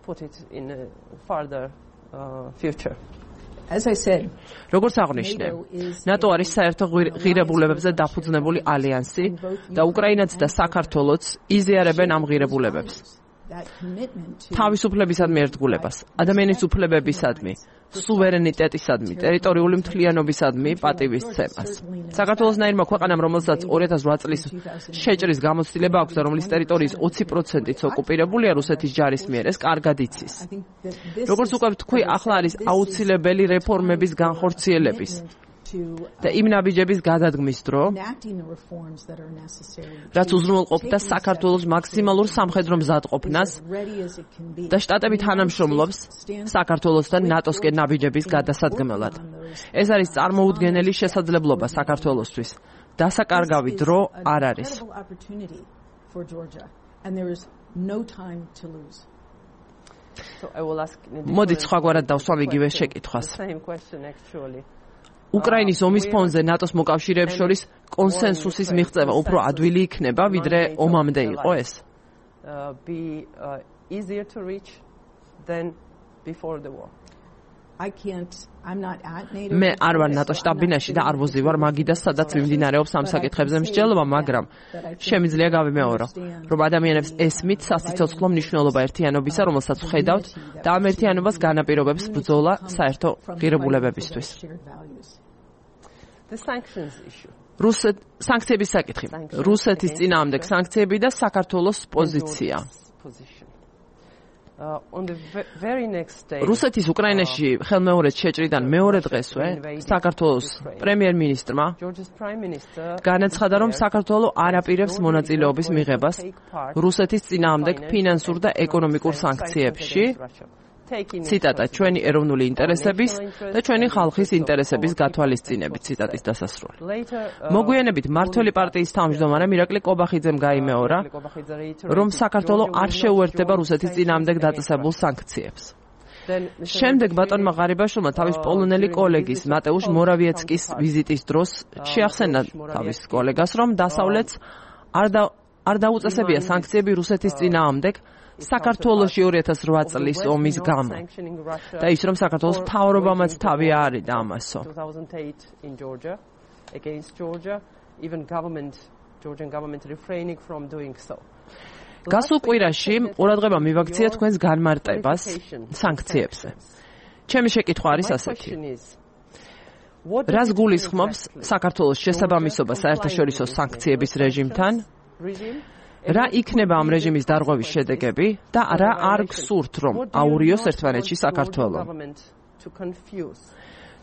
Put it in a further future. As I said, როგორც აღნიშნე, ნატო არის საერთო ღირებულებებზე დაფუძნებული ალიანსი და უკრაინაც და საქართველოც იზიარებენ ამ ღირებულებებს. თავისუფლებისადმი ერთგულებას, ადამიანის უფლებებისადმი, სუვერენიტეტისადმი, ტერიტორიული მთლიანობისადმი პატივისცემას. საქართველოსნაირმა ქვეყანამ, რომელსაც 2008 წლის შეჭრის გამოცდილება აქვს და რომლის ტერიტორიის 20%-იც ოკუპირებულია რუსეთის ჯარის მიერ, ეს კარგად იცის. როგორც უკვე ვთქვი, ახლა არის აუცილებელი რეფორმების განხორციელების და იმ ნაბიჯების გადადგმის დრო, რაც უზრუნველყოფდა საქართველოს მაქსიმალურ სამხედრო მზადყოფნას და შტატები თანამშრომლობს საქართველოსთან ნატოსკენ ნაბიჯების გადასადგმელად. ეს არის წარმოუდგენელი შესაძლებლობა საქართველოსთვის. დასაკარგავი დრო არ არის. მოდით სხვაგვარად დავსვამ იგივე შეკითხვას. უკრაინის ომის ფონზე ნატოს მოკავშირეებს შორის კონსენსუსის მიღწევა უფრო ადვილი იქნება, ვიდრე ომამდე იყო ეს. მე არ ვარ ნატოს შტაბ-ბინაში და არ ვოზივარ მაგიდას, სადაც მიმდინარეობს ამ საკითხებზე მსჯელობა, მაგრამ შემიძლია გავიმეორო, რომ ადამიანებს ესმით სასიცოცხლო მნიშვნელობა ერთიანობისა, რომელსაც ვხედავთ და ამ ერთიანობას განაპირობებს ბრძოლა საერთო ღირებულებებისთვის. სანქციების საკითხი. რუსეთის წინააღმდეგ სანქციები და საქართველოს პოზიცია. რუსეთის უკრაინაში ხელმეორედ შეჭრიდან მეორე დღესვე საქართველოს პრემიერ-მინისტრმა განაცხადა, რომ საქართველო არ აპირებს მონაწილეობის მიღებას რუსეთის წინააღმდეგ ფინანსურ და ეკონომიკურ სანქციებში. ციტატა, ჩვენი ეროვნული ინტერესების და ჩვენი ხალხის ინტერესების გათვალისწინებით, ციტატის დასასრული. მოგვიანებით მართველი პარტიის თავმჯდომარე მირაკლი კობახიძემ გაიმეორა, რომ საქართველო არ შეუერთდება რუსეთის წინააღმდეგ დაწესებულ სანქციებს. შემდეგ ბატონმა ღარიბაშვილმა თავის პოლონელი კოლეგის მატეუშ მორავიეცკის ვიზიტის დროს შეახსენა თავის კოლეგას, რომ დასავლეთს არ დაუწესებია სანქციები რუსეთის წინააღმდეგ საქართველოში 2008 წლის ომის გამო და ის რომ საქართველოს მთავრობამაც თავი არის და ამასო. გასულ კვირაში ყურადღება მივაქცია თქვენს განმარტებას სანქციებზე. ჩემი შეკითხვა არის ასეთი. რას გულისხმობს საქართველოს შესაბამისობა საერთაშორისო სანქციების რეჟიმთან? რა იქნება ამ რეჟიმის დარღვევის შედეგები და რა არ გსურთ, რომ აურიოს ერთმანეთში საქართველო?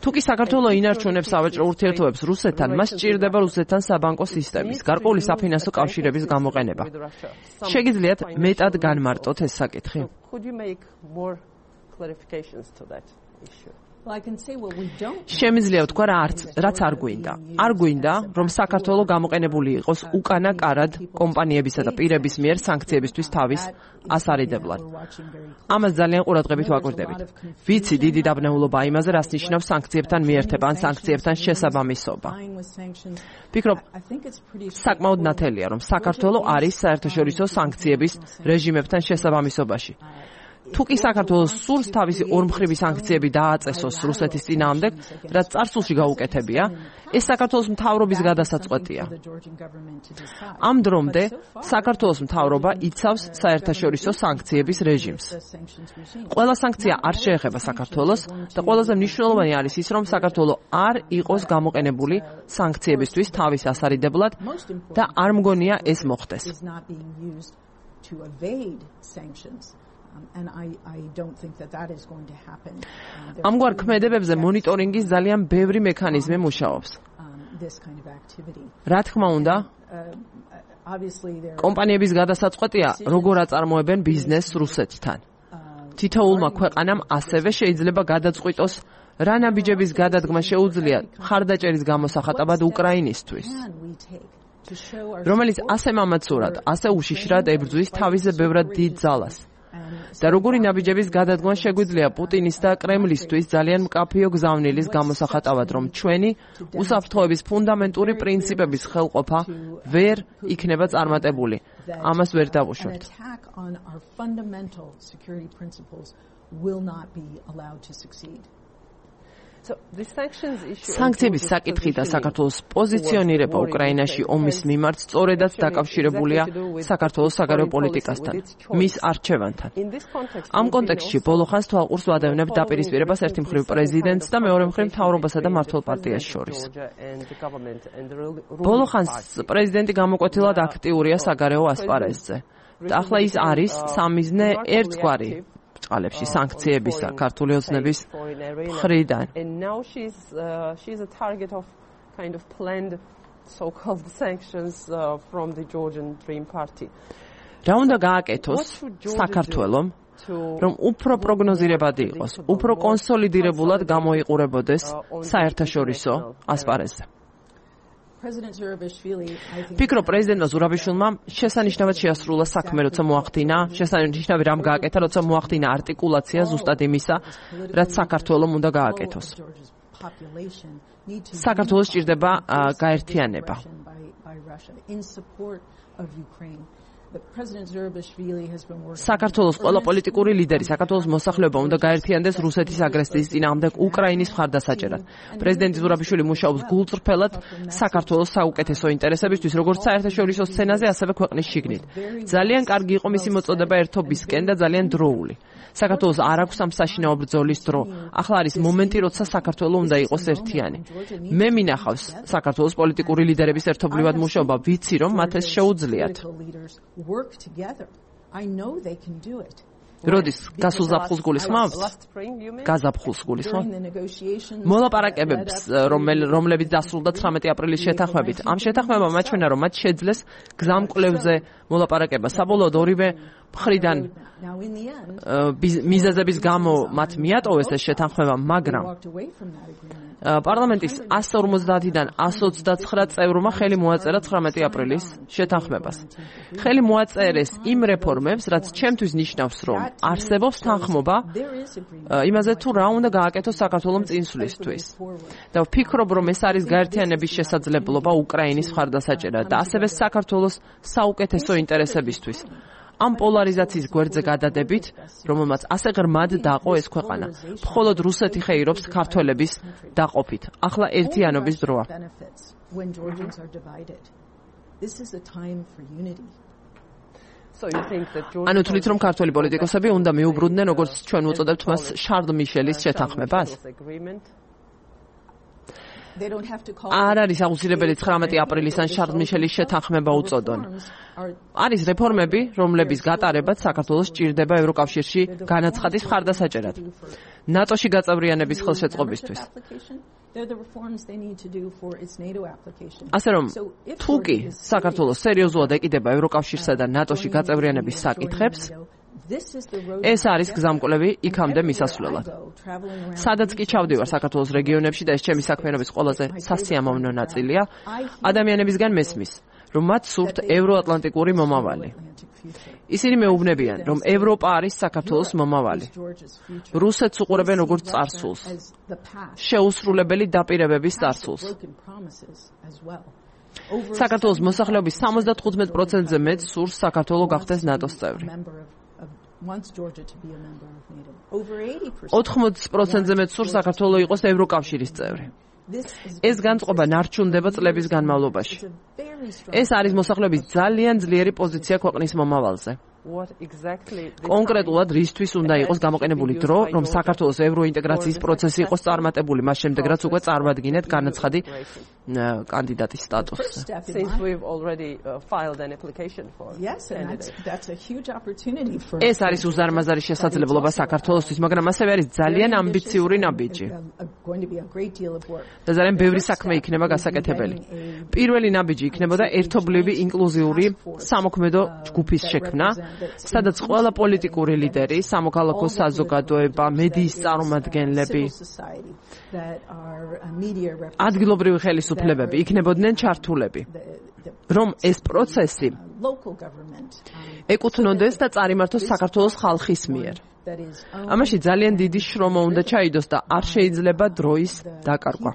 თუ კი საქართველო ინარჩუნებს სავაჭრო ურთიერთობებს რუსეთთან, მას სჭირდება რუსეთთან საბანკო სისტემის, გარკვეული საფინანსო კავშირების გამოყენება. შეგიძლიათ მეტად განმარტოთ ეს საკითხი? შემიძლია ვთქვა, რაც არ გვინდა. არ გვინდა, რომ საქართველო გამოყენებული იყოს უკანა კარად კომპანიებისა და პირების მიერ სანქციებისთვის თავის ასარიდებლად. ამას ძალიან ყურადღებით ვაკვირდებით. ვიცი დიდი დაბნეულობა იმაზე, რას ნიშნავს სანქციებთან მიერთება ან სანქციებთან შესაბამისობა. ვფიქრობ, საკმაოდ ნათელია, რომ საქართველო არის საერთაშორისო სანქციების რეჟიმებთან შესაბამისობაში. თუ კი საქართველოს სურს თავისი ორმხრივი სანქციები დააწესოს რუსეთის წინააღმდეგ, რაც წარსულში გაუკეთებია, ეს საქართველოს მთავრობის გადასაწყვეტია. ამ დრომდე საქართველოს მთავრობა იცავს საერთაშორისო სანქციების რეჟიმს. ყველა სანქცია არ შეეხება საქართველოს და ყველაზე მნიშვნელოვანი არის ის, რომ საქართველო არ იყოს გამოყენებული სანქციებისთვის თავის ასარიდებლად და არ მგონია ეს მოხდეს. And I don't think that is going to happen. ამგვარ ქმედებებზე მონიტორინგის ძალიან ბევრი მექანიზმი მუშაობს. This kind of activity. რა თქმა უნდა, Obviously there კომპანიების გადასაწყვეტია როგორ აწარმოებენ ბიზნესს რუსეთთან. თითოეულმა ქვეყანამ ასევე შეიძლება გადაწყვიტოს რა ნაბიჯების გადადგმა შეუძლია ხარდაჭერის გამოსახატავად უკრაინისთვის, რომელიც ასე მამაცურად, ასე უშიშრად ებრძვის თავის ბევრად დიდ ძალას. და როგორი ნაბიჯების გადადგმა შეგვიძლია პუტინის და კრემლისთვის ძალიან მკაფიო გზავნილის გამოსახატავად, რომ ჩვენი უსაფრთხოების ფუნდამენტური პრინციპების ხელყოფა ვერ იქნება წარმატებული. ამას ვერ დავუშვებთ. სანქციების საკითხი და საქართველოს პოზიციონირება უკრაინაში ომის მიმართ სწორედაც დაკავშირებულია საქართველოს საგარეო პოლიტიკასთან, მის არჩევანთან. ამ კონტექსტში ბოლო ხანს თვალყურს ვადევნებ დაპირისპირებას ერთი მხრივ პრეზიდენტს და მეორე მხრივ მთავრობასა და მმართველ პარტიას შორის. ბოლო ხანს პრეზიდენტი გამოკვეთილად აქტიურია საგარეო ასპარეზზე. და ახლა ის არის სამიზნე ერთგვარი წყალებში სანქციებისა ქართული ოცნების მხრიდან. And now she's a target of kind of planned so-called sanctions from the Georgian Dream Party. რა უნდა გააკეთოს საქართველომ, რომ უფრო პროგნოზირებადი იყოს, უფრო კონსოლიდირებულად გამოიყურებოდეს საერთაშორისო ასპარეზზე. ფიქრობ, პრეზიდენტმა ზურაბიშვილმა შესანიშნავად შეასრულა საქმე, როცა მოახდინა, შესანიშნავი რამ გააკეთა, როცა მოახდინა არტიკულაცია ზუსტად იმისა, რაც საქართველომ უნდა გააკეთოს. საქართველოს სჭირდება გაერთიანება. საქართველოს ყველა პოლიტიკური ლიდერი, საქართველოს მოსახლეობა უნდა გაერთიანდეს რუსეთის აგრესიის წინააღმდეგ უკრაინის მხარდასაჭერად. პრეზიდენტი ზურაბიშვილი მუშაობს გულწრფელად საქართველოს საუკეთესო ინტერესებისთვის, როგორც საერთაშორისო სცენაზე, ასევე ქვეყნის შიგნით. ძალიან კარგი იყო მისი მოწოდება ერთობისკენ და ძალიან დროული. საქართველოს არ აქვს ამ საშინაო ბრძოლის დრო. ახლა არის მომენტი, როცა საქართველო უნდა იყოს ერთიანი. მე მინახავს საქართველოს პოლიტიკური ლიდერების ერთობლივად მუშაობა, ვიცი რომ მათ ეს შეუძლიათ. როდის გასულ ზაფხულს გულისხმობთ? გაზაფხულს გულისხმობთ? მოლაპარაკებებს, რომლებიც დასრულდა 19 აპრილის შეთანხმებით. ამ შეთანხმებამ აჩვენა, რომ მათ შეძლეს გზამკვლევზე მოლაპარაკება. საბოლოოდ ორივე მხრიდან მიზეზების გამო მათ მიატოვეს ეს შეთანხმება, მაგრამ პარლამენტის 150-დან 129 წევრმა ხელი მოაწერა 19 აპრილის შეთანხმებას. ხელი მოაწერეს იმ რეფორმებს, რაც ჩემთვის ნიშნავს, რომ არსებობს თანხმობა იმაზე თუ რა უნდა გააკეთოს საქართველოს წინსვლისთვის. და ვფიქრობ, რომ ეს არის გაერთიანების შესაძლებლობა უკრაინის მხარდასაჭერად და ასევე საქართველოს საუკეთესო ინტერესებისთვის. ამ პოლარიზაციის გვერდზე გადადებით, რომელმაც ასე ღრმად დაყო ეს ქვეყანა. მხოლოდ რუსეთი ხეირობს ქართველების დაყოფით. ახლა ერთიანობის დროა. ანუ თვლით, რომ ქართველი პოლიტიკოსები უნდა მიუბრუნდნენ, როგორც ჩვენ ვუწოდებთ მას, შარლ მიშელის შეთანხმებას? არ არის აუცილებელი 19 აპრილისთან შარლ მიშელის შეთანხმება უწოდონ. არის რეფორმები, რომლების გატარებაც საქართველოს სჭირდება ევროკავშირში განაცხადის მხარდასაჭერად. ნატოში გაწევრიანების ხელშეწყობისთვის. ასე რომ, თუ კი საქართველოს სერიოზულად ეკიდება ევროკავშირსა და ნატოში გაწევრიანების საკითხებს, ეს არის გზამკვლევი იქამდე მისასვლელად. სადაც კი ჩავდივარ საქართველოს რეგიონებში და ეს ჩემი საქმიანობის ყველაზე სასიამოვნო ნაწილია, ადამიანებისგან მესმის, რომ მათ სურთ ევროატლანტიკური მომავალი. ისინი მეუბნებიან, რომ ევროპა არის საქართველოს მომავალი. რუსეთს უყურებენ როგორც წარსულს, შეუსრულებელი დაპირებების წარსულს. საქართველოს მოსახლეობის 75%-ზე მეტ სურს საქართველო გახდეს ნატოს წევრი. 80%-ზე მეტ სურს საქართველო იყოს ევროკავშირის წევრი. ეს განწყობა ნარჩუნდება წლების განმავლობაში. ეს არის მოსახლეობის ძალიან ძლიერი პოზიცია ქვეყნის მომავალზე. კონკრეტულად რისთვის უნდა იყოს გამოყენებული დრო, რომ საქართველოს ევროინტეგრაციის პროცესი იყოს წარმატებული, მას შემდეგ რაც უკვე წარმადგინეთ განაცხადი კანდიდატის სტატუსზე. Since we've already filed an application for. Yes, and that's a huge opportunity for. ეს არის უზარმაზარი შესაძლებლობა საქართველოსთვის, მაგრამ ასევე არის ძალიან ამბიციური ნაბიჯი. და ძალიან ბევრი საქმე იქნება გასაკეთებელი. პირველი ნაბიჯი იქნებოდა ერთობლივი ინკლუზიური სამოქმედო ჯგუფის შექმნა, სადაც ყველა პოლიტიკური ლიდერი, სამოქალაქო საზოგადოება, მედიის წარმომადგენლები, ადგილობრივი ხელისუფლებები იქნებოდნენ ჩართულები, რომ ეს პროცესი ეკუთვნოდეს და წარიმართოს საქართველოს ხალხის მიერ. ამაში ძალიან დიდი შრომა უნდა ჩაიდოს და არ შეიძლება დროის დაკარგვა.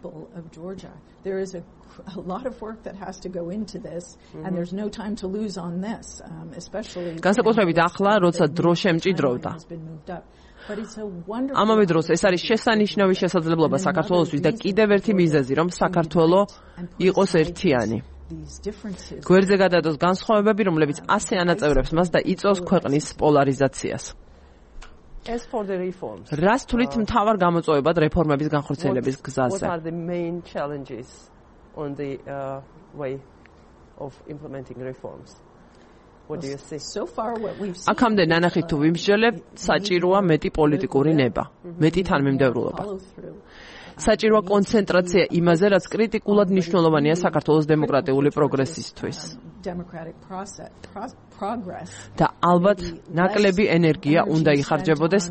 A lot of work that has to go into this and there's no time to lose on this, especially განსაკუთრებით ახლა, როცა დრო შემჭიდროვდა. ამავე დროს ეს არის შესანიშნავი შესაძლებლობა საქართველოსთვის და კიდევ ერთი მიზეზი, რომ საქართველო იყოს ერთიანი. გვერდზე გადადოს განსხვავებები, რომლებიც ასე ანაწევრებს მას და იწვევს ქვეყნის პოლარიზაციას. As for the reforms, რას თვლით მთავარ გამოწვევებად რეფორმების განხორციელების გზაზე? What are the main challenges on the way of implementing reforms? What do you see? So far what we've seen. აქამდე ნანახით თუ ვიმსჯელებთ, საჭიროა მეტი პოლიტიკური ნება, მეტი თანმიმდევრულობა. საჭიროა კონცენტრაცია იმაზე, რაც კრიტიკულად მნიშვნელოვანია საქართველოს დემოკრატიული პროგრესისთვის. და ალბათ ნაკლები ენერგია უნდა იხარჯებოდეს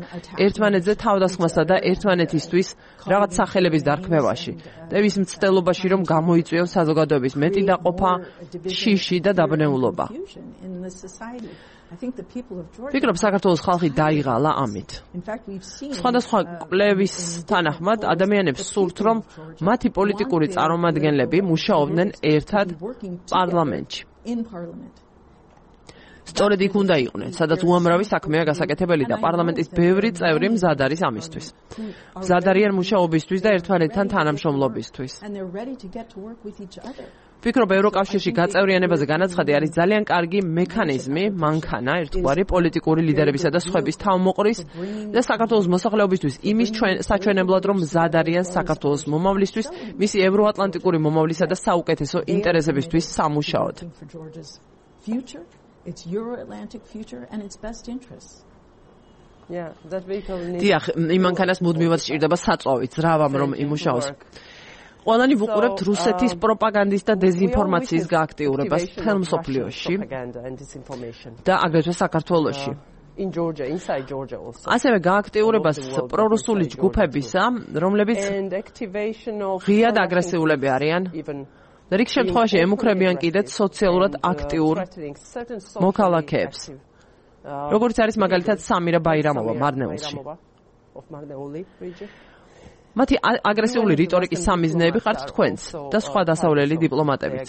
ერთმანეთზე თავდასხმასა და ერთმანეთისთვის რაღაც სახელების დარქმევაში და ის მცდელობაში, რომ გამოიწვიოს საზოგადოების მეტი დაყოფა, შიში და დაბნეულობა. ვფიქრობ, საქართველოს ხალხი დაიღალა ამით. სხვადასხვა კვლევის თანახმად, ადამიანებს სურთ, რომ მათი პოლიტიკური წარმომადგენლები მუშაობდნენ ერთად პარლამენტში. სწორედ იქ უნდა იყვნენ, სადაც უამრავი საქმეა გასაკეთებელი და პარლამენტის ბევრი წევრი მზად არის ამისთვის. მზად არიან მუშაობისთვის და ერთმანეთთან თანამშრომლობისთვის. ვფიქრობ, ევროკავშირში გაწევრიანებაზე განაცხადი არის ძალიან კარგი მექანიზმი, მანქანა, ერთგვარი პოლიტიკური ლიდერებისა და სხვების თავმოყრის და საქართველოს მოსახლეობისთვის იმის საჩვენებლად, რომ მზად არიან საქართველოს მომავლისთვის, მისი ევროატლანტიკური მომავლისა და საუკეთესო ინტერესებისთვის სამუშაოდ. It's Euro-Atlantic future and its best interests. Yeah, that vehicle needs. დიახ, იმ მანქანას მუდმივად სჭირდება საწვავი, ძრავამ რომ იმუშაოს. ყველანი ვუყურებთ რუსეთის პროპაგანდის და დეზინფორმაციის გააქტიურებას მთელ მსოფლიოში და აგრეთვე საქართველოში. In Georgia, inside Georgia also. ასევე გააქტიურებას პრორუსული ჯგუფებისა, რომლებიც ღიად აგრესიულები არიან. და რიგ შემთხვევაში ემუქრებიან კიდეც სოციალურად აქტიურ მოქალაქეებს. როგორც არის მაგალითად სამირა ბაირამოვა მარნეულში. მათი აგრესიული რიტორიკის სამიზნეები ხართ თქვენც და სხვა დასავლელი დიპლომატებიც.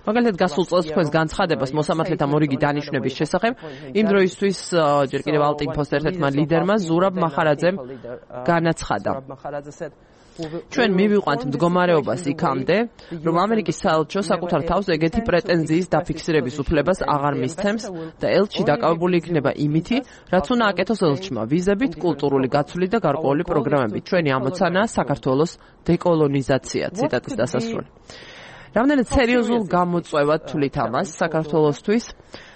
მაგალითად გასულ წელს თქვენს განცხადებას მოსამართლეთა მორიგი დანიშვნების შესახებ იმ დროისთვის ჯერ კიდევ ალტინფოს ერთ-ერთმა ლიდერმა ზურაბ მახარაძემ განაცხადა. ჩვენ მივიყვანთ მდგომარეობას იქამდე, რომ ამერიკის საელჩო საკუთარ თავს ეგეთი პრეტენზიის დაფიქსირების უფლებას აღარ მისცემს და ელჩი დაკავებული იქნება იმითი, რაც უნდა აკეთოს ელჩმა ვიზებით, კულტურული გაცვლით და გარკვეული პროგრამებით. ჩვენი ამოცანაა საქართველოს დეკოლონიზაცია. ციტატის დასასრული. რამდენად სერიოზულ გამოწვევად თვლით ამას საქართველოსთვის?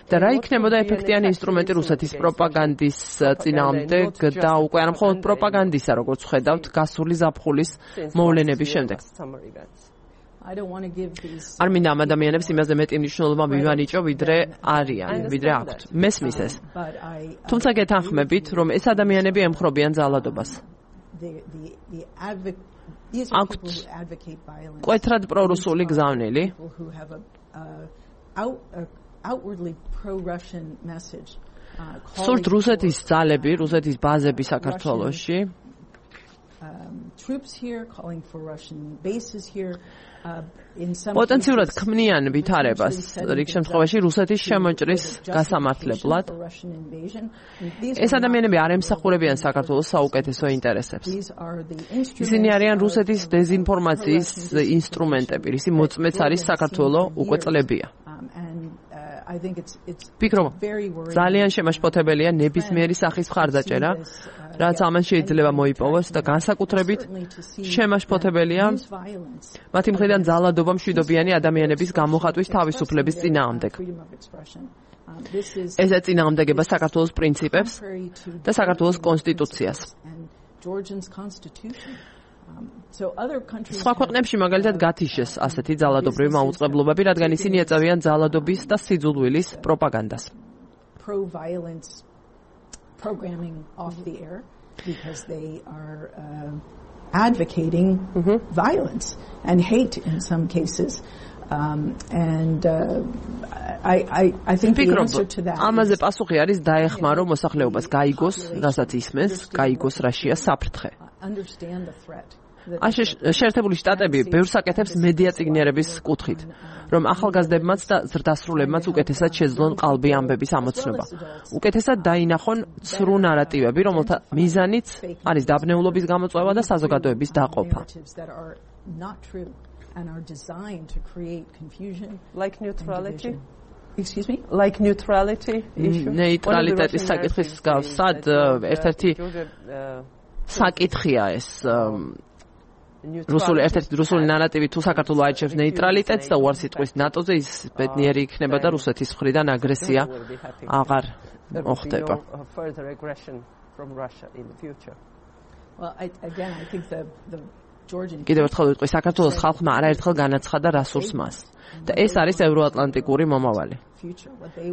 და რა იქნებოდა ეფექტიანი ინსტრუმენტი რუსეთის პროპაგანდის წინააღმდეგ და უკვე არა მხოლოდ პროპაგანდისა, როგორც ხედავთ, გასული ზაფხულის მოვლენების შემდეგ. არ მინდა ამ ადამიანებს იმაზე მეტი მნიშვნელობა მივანიჭო, ვიდრე არიან, ვიდრე აქვთ. მესმის ეს. თუმცა გეთანხმებით, რომ ეს ადამიანები ემხრობიან ძალადობას. აქვთ კვეთრად პრორუსული გზავნილი. Outwardly pro-Russian message. სურთ რუსეთის ძალები, რუსეთის ბაზები საქართველოში. Troops here calling for Russian bases here. პოტენციურად ქმნიან ვითარებას რიგ შემთხვევაში რუსეთის შემოჭრის გასამართლებლად. ეს ადამიანები არ ემსახურებიან საქართველოს საუკეთესო ინტერესებს. ისინი არიან რუსეთის დეზინფორმაციის ინსტრუმენტები, ისი მოწმეც არის საქართველო უკვე წლებია. I think it's ვფიქრობ, very worrying. ძალიან შემაშფოთებელია ნებისმიერი სახის მხარდაჭერა, რაც ამან შეიძლება მოიპოვოს და განსაკუთრებით შემაშფოთებელია მათი მხრიდან ძალადობა მშვიდობიანი ადამიანების გამოხატვის თავისუფლების წინააღმდეგ. ესეც წინააღმდეგება საქართველოს პრინციპებს და საქართველოს კონსტიტუციას. სხვა ქვეყნებში მაგალითად გათიშეს ასეთი ძალადობრივი მაუწყებლობები, რადგან ისინი ეწევიან ძალადობის და სიძულვილის პროპაგანდას. Programming off the air because they are advocating violence and hate in some cases. I think the answer to that ამაზე პასუხი არის დაეხმარო მოსახლეობას გაიგოს, რასაც ისმენს, გაიგოს რაშია საფრთხე. Understand the threat. შეერთებული შტატები ბევრს აკეთებს მედია წიგნიერების კუთხით, რომ ახალგაზრდებმაც და ზრდასრულებმაც უკეთესად შეძლონ ყალბი ამბების ამოცნობა. უკეთესად დაინახონ ცრუ ნარატივები, რომელთა მიზანიც არის დაბნეულობის გამოწვევა და საზოგადოების დაყოფა. Like neutrality? Excuse me? Like neutrality issue? ნეიტრალიტეტის საკითხის მსგავსად ერთ-ერთი საკითხია ეს რუსული ნარატივი თუ საქართველო აიჩევს ნეიტრალიტეტს და უარს იტყვის ნატოზე, ის ბედნიერი იქნება და რუსეთის მხრიდან აგრესია აღარ მოხდება. კიდევ ერთხელ ვიტყვი, საქართველოს ხალხმა არაერთხელ განაცხადა რა სურს მას და ეს არის ევროატლანტიკური მომავალი.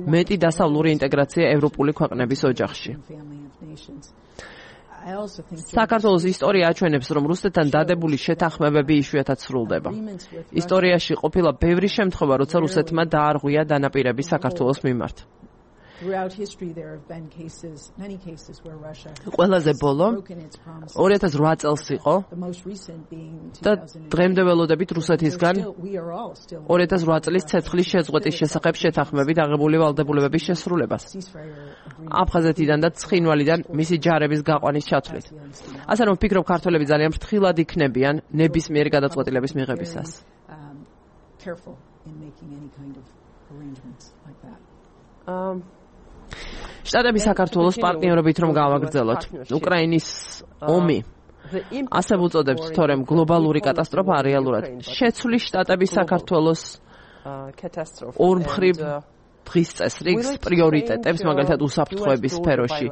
მეტი დასავლური ინტეგრაცია ევროპული ქვეყნების ოჯახში. საქართველოს ისტორია აჩვენებს, რომ რუსეთთან დადებული შეთანხმებები იშვიათად სრულდება. ისტორიაში ყოფილა ბევრი შემთხვევა, როცა რუსეთმა დაარღვია დანაპირები საქართველოს მიმართ. ყველაზე ბოლო 2008 წელს იყო და დღემდე ველოდებით რუსეთისგან 2008 წლის ცეცხლის შეწყვეტის შესახებ შეთანხმებით აღებული ვალდებულებების შესრულებას. აფხაზეთიდან და ცხინვალიდან მისი ჯარების გაყვანის ჩათვლით. ასე რომ ვფიქრობ, ქართველები ძალიან ფრთხილად იქნებიან ნებისმიერი გადაწყვეტილების მიღებისას. შტატები საქართველოს პარტნიორობით რომ გავაგრძელოთ. უკრაინის ომი ასე ვუწოდებთ, თორემ გლობალური კატასტროფა რეალურად შეცვლის შტატების საქართველოს ორმხრივ დღის წესრიგს, პრიორიტეტებს, მაგალითად უსაფრთხოების სფეროში,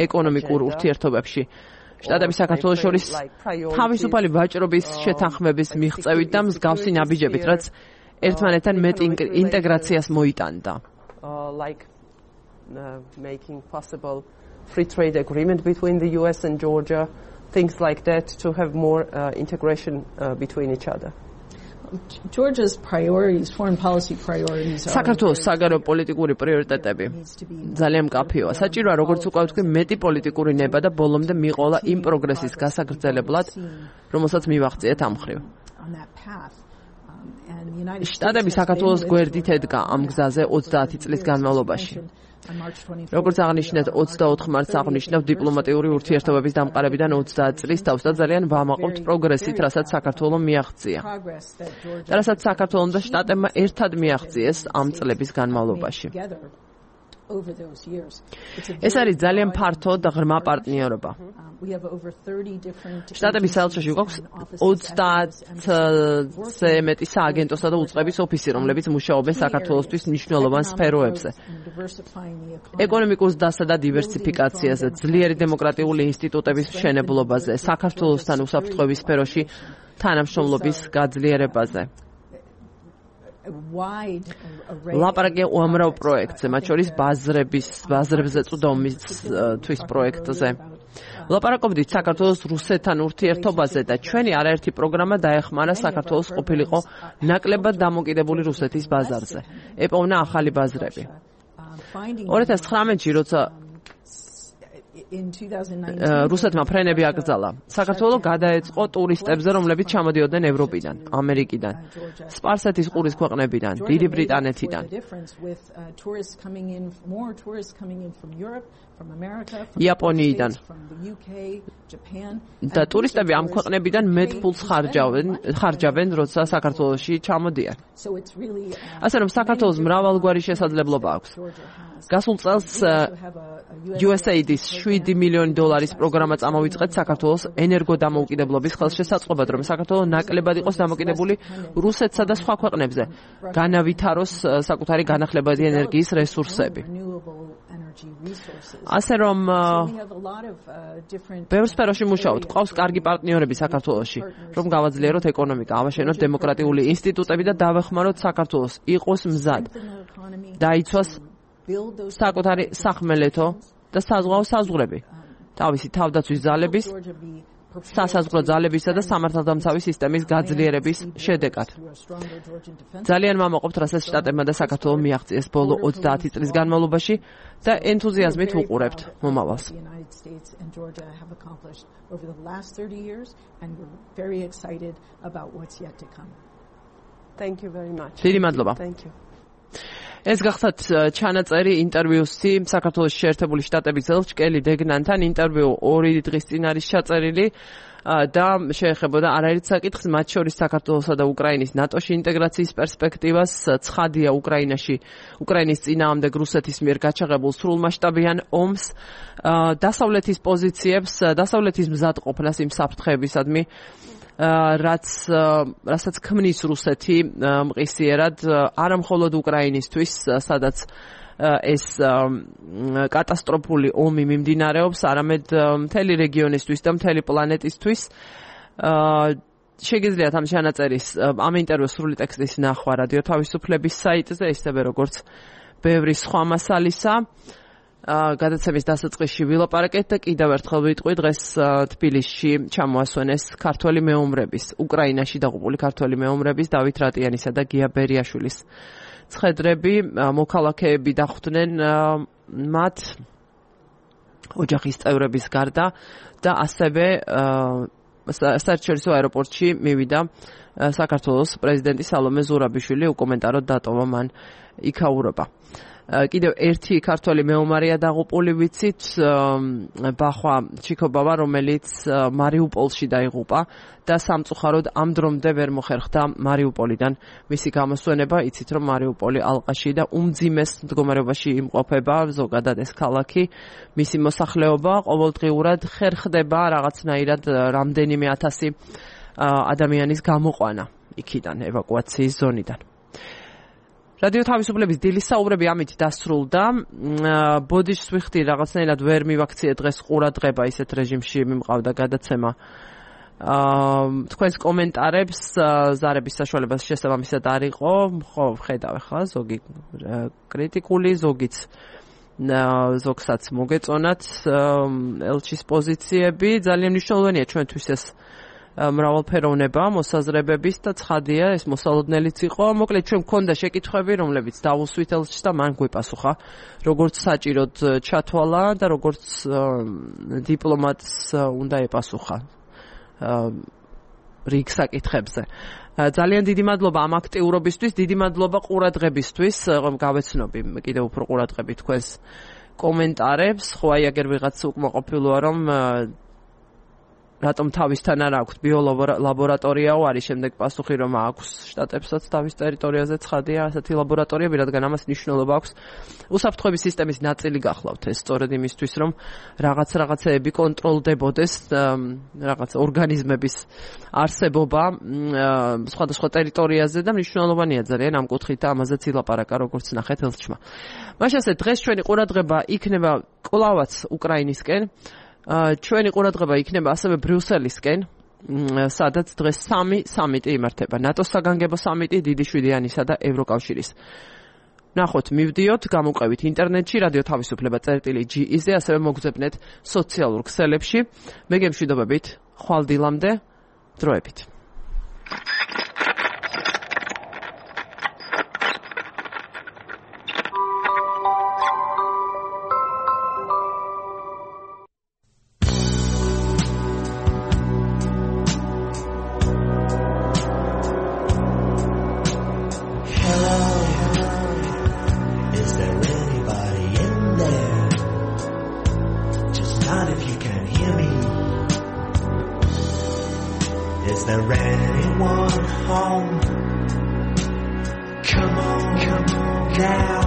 ეკონომიკურ ურთიერთობებში. შტატების საქართველოს შორის თავისუფალი ვაჭრობის შეთანხმების მიღწევით და მსგავსი ნაბიჯებით, რაც ერთმანეთთან მეტ ინტეგრაციას მოიტანდა. Making possible free trade agreement between the US and Georgia, things like that, to have more integration between each other. Georgia's priorities, foreign policy priorities are საქართველოს საგარეო პოლიტიკური პრიორიტეტები ძალიან მკაფიოა. საჭიროა როგორც უკვე ვთქვი, მეტი პოლიტიკური ნება და ბოლომდე მიყოლა იმ პროგრესის გასაგრძელებლად, რომელსაც მივაღწიეთ ამ მხრივ. შტატები საქართველოს გვერდით ედგა ამ გზაზე 30 წლის განმავლობაში. როგორც აღნიშნეთ, 24 მარტს აღნიშნავ დიპლომატიური ურთიერთობების დამყარებიდან 30 წლის თავს და ძალიან ვამაყობთ პროგრესით, რასაც საქართველომ მიაღწია. და რასაც საქართველომ და შტატებმა ერთად მიაღწიეს ამ წლების განმავლობაში. ეს არის ძალიან ფართო და ღრმა პარტნიორობა. შტატების საელჩოში გვაქვს 30-ზე მეტი სააგენტოსა და უწყების ოფისი, რომლებიც მუშაობენ საქართველოსთვის მნიშვნელოვან სფეროებზე. ეკონომიკურ დასა და დივერსიფიკაციაზე, ძლიერი დემოკრატიული ინსტიტუტების მშენებლობაზე, საქართველოსთან უსაფრთხოების სფეროში თანამშრომლობის გაძლიერებაზე. ლაპარაკია უამრავ პროექტზე, მათ შორის ბაზრებზე წვდომისთვის პროექტზე. ლაპარაკობდით საქართველოს რუსეთთან ურთიერთობაზე და ჩვენი არაერთი პროგრამა დაეხმარა საქართველოს ყოფილიყო ნაკლებად დამოკიდებული რუსეთის ბაზარზე. ეპოვნა ახალი ბაზრები. 2019-ში, როცა რუსეთმა ფრენები აკრძალა, საქართველო გადაეწყო ტურისტებზე, რომლებიც ჩამოდიოდნენ ევროპიდან, ამერიკიდან, სპარსეთის ყურის ქვეყნებიდან, დიდი ბრიტანეთიდან. იაპონიიდან და ტურისტები ამ ქვეყნებიდან მეტ ფულს ხარჯავენ, როცა საქართველოში ჩამოდიან. ასე რომ საქართველოს მრავალგვარი შესაძლებლობა აქვს. გასულ წელს USAID-ის $7 მილიონი პროგრამა წამოვიწყეთ საქართველოს ენერგოდამოუკიდებლობის ხელშესაწყობად, რომ საქართველო ნაკლებად იყოს დამოკიდებული რუსეთსა და სხვა ქვეყნებზე, განავითაროს საკუთარი განახლებადი ენერგიის რესურსები. ასე რომ ბევრ სფეროში მუშაობთ, ყავს კარგი პარტნიორები საქართველოში, რომ გავაძლიეროთ ეკონომიკა, ავაშენოთ დემოკრატიული ინსტიტუტები და დავეხმაროთ საქართველოს იყოს მზად დაიცვას საკუთარი სახმელეთო და საზღვაო საზღვრები, თავისი თავდაცვის ძალების, სასაზღვრო ძალებისა და სამართალდამცავი სისტემის გაძლიერების შედეგად. ძალიან მამაყობთ, რასაც შტატებმა და საქართველომ მიაღწიეს ბოლო 30 წლის განმავლობაში და ენთუზიაზმით ვუყურებთ მომავალს. Thank you very much. დიდი მადლობა. Thank you. ეს გახდათ ჩანაწერი ინტერვიუსი საქართველოს შეერთებული შტატების ელჩკელი დეგნანთან. ინტერვიუ 2 დღის წინ არის ჩაწერილი და შეეხებოდა არაერთ საკითხს, მათ შორის საქართველოსა და უკრაინის ნატოში ინტეგრაციის პერსპექტივას, ცხადია უკრაინის წინააღმდეგ რუსეთის მიერ გაჩაღებულ სრულმასშტაბიან ომს, დასავლეთის პოზიციებს, დასავლეთის მზადყოფნას იმ საფრთხეებისადმი, რასაც ქმნის რუსეთი მყისიერად არა მხოლოდ უკრაინისთვის, სადაც ეს კატასტროფული ომი მიმდინარეობს, არამედ მთელი რეგიონისთვის და მთელი პლანეტისთვის. შეგიძლიათ ამ ჩანაწერის, ამ ინტერვიუს სრული ტექსტის ნახვა რადიო თავისუფლების საიტზე, ისევე როგორც ბევრი სხვა მასალისა. გადაცემის დასაწყისში ვილაპარაკეთ და კიდევ ერთხელ ვიტყვი, დღეს თბილისში ჩამოასვენეს ქართველი მეომრების, უკრაინაში დაღუპული ქართველი მეომრების დავით რატიანისა და გია ბერიაშვილის ცხედრები. მოქალაქეები დახვდნენ მათ ოჯახის წევრების გარდა და ასევე საერთაშორისო აეროპორტში მივიდა საქართველოს პრეზიდენტი სალომე ზურაბიშვილი, უკომენტაროდ დატოვა მან იქაურობა. კიდევ ერთი ქართველი მეომარია დაღუპული, ვიცით, ბახვა ჩიქობავა, რომელიც მარიუპოლში დაიღუპა და სამწუხაროდ ამ დრომდე ვერ მოხერხდა მარიუპოლიდან მისი გამოსვენება. იცით, რომ მარიუპოლი ალყაში და უმძიმეს მდგომარეობაში იმყოფება ზოგადად ეს ქალაქი. მისი მოსახლეობა ყოველდღიურად ხერხდება რაღაცნაირად რამდენიმე ათასი ადამიანის გამოყვანა იქიდან, ევაკუაციის ზონიდან. რადიო თავისუფლების დილის საუბრები ამით დასრულდა. ბოდიშს ვიხდი, რაღაცნაირად ვერ მივაქციე დღეს ყურადღება, ისეთ რეჟიმში მიმყავდა გადაცემა. თქვენს კომენტარებს ზარების საშუალებას შესაბამისად არ იყო. ხო, ხედავ ახლა ზოგი კრიტიკული, ზოგსაც მოგეწონათ ელჩის პოზიციები. ძალიან მნიშვნელოვანია ჩვენთვის ეს მრავალფეროვნება მოსაზრებების და ცხადია ეს მოსალოდნელიც იყო. მოკლედ ჩვენ გქონდა შეკითხვები, რომლებიც დავუსვით ელჩს და მან გვიპასუხა, როგორც საჭიროდ ჩათვალა და როგორც დიპლომატს უნდა ეპასუხა რიგ საკითხებზე. ძალიან დიდი მადლობა ამ აქტიურობისთვის, დიდი მადლობა ყურადღებისთვის. გავეცნობი კიდევ უფრო ყურადღებით თქვენს კომენტარებს. ხო, აი აგერ ვიღაც უკმაყოფილოა, რომ რატომ თავისთან არ აქვს ბიოლაბორატორიაო, არის შემდეგ პასუხი, რომ აქვს შტატებსაც თავის ტერიტორიაზე ცხადია ასეთი ლაბორატორიები, რადგან ამას მნიშვნელობა აქვს უსაფრთხოების სისტემის ნაწილი გახლავთ. ეს სწორედ იმისთვის, რომ რაღაცეები კონტროლდებოდეს, რაღაც ორგანიზმების არსებობა სხვადასხვა ტერიტორიაზე და მნიშვნელოვანია ძალიან ამ კუთხით და ამაზეც ილაპარაკა, როგორც ნახეთ ელჩმა. მაშასე დღეს ჩვენი ყურადღება იქნება კვლავაც უკრაინისკენ. ჩვენი ყურადღება იქნება ასევე ბრიუსელისკენ, სადაც დღეს 3 სამიტი იმართება. ნატოს საგანგებო სამიტი, დიდი შვიდიანისა და ევროკავშირის. ნახოთ, მივდიოთ, გამოვყევით ინტერნეტში, რადიო თავისუფლება წერტილი.gz-ზე, ასევე მოგძებნეთ სოციალურ ქსელებში. მე გემშვიდობებით, ხვალ დილამდე, დროებით. now.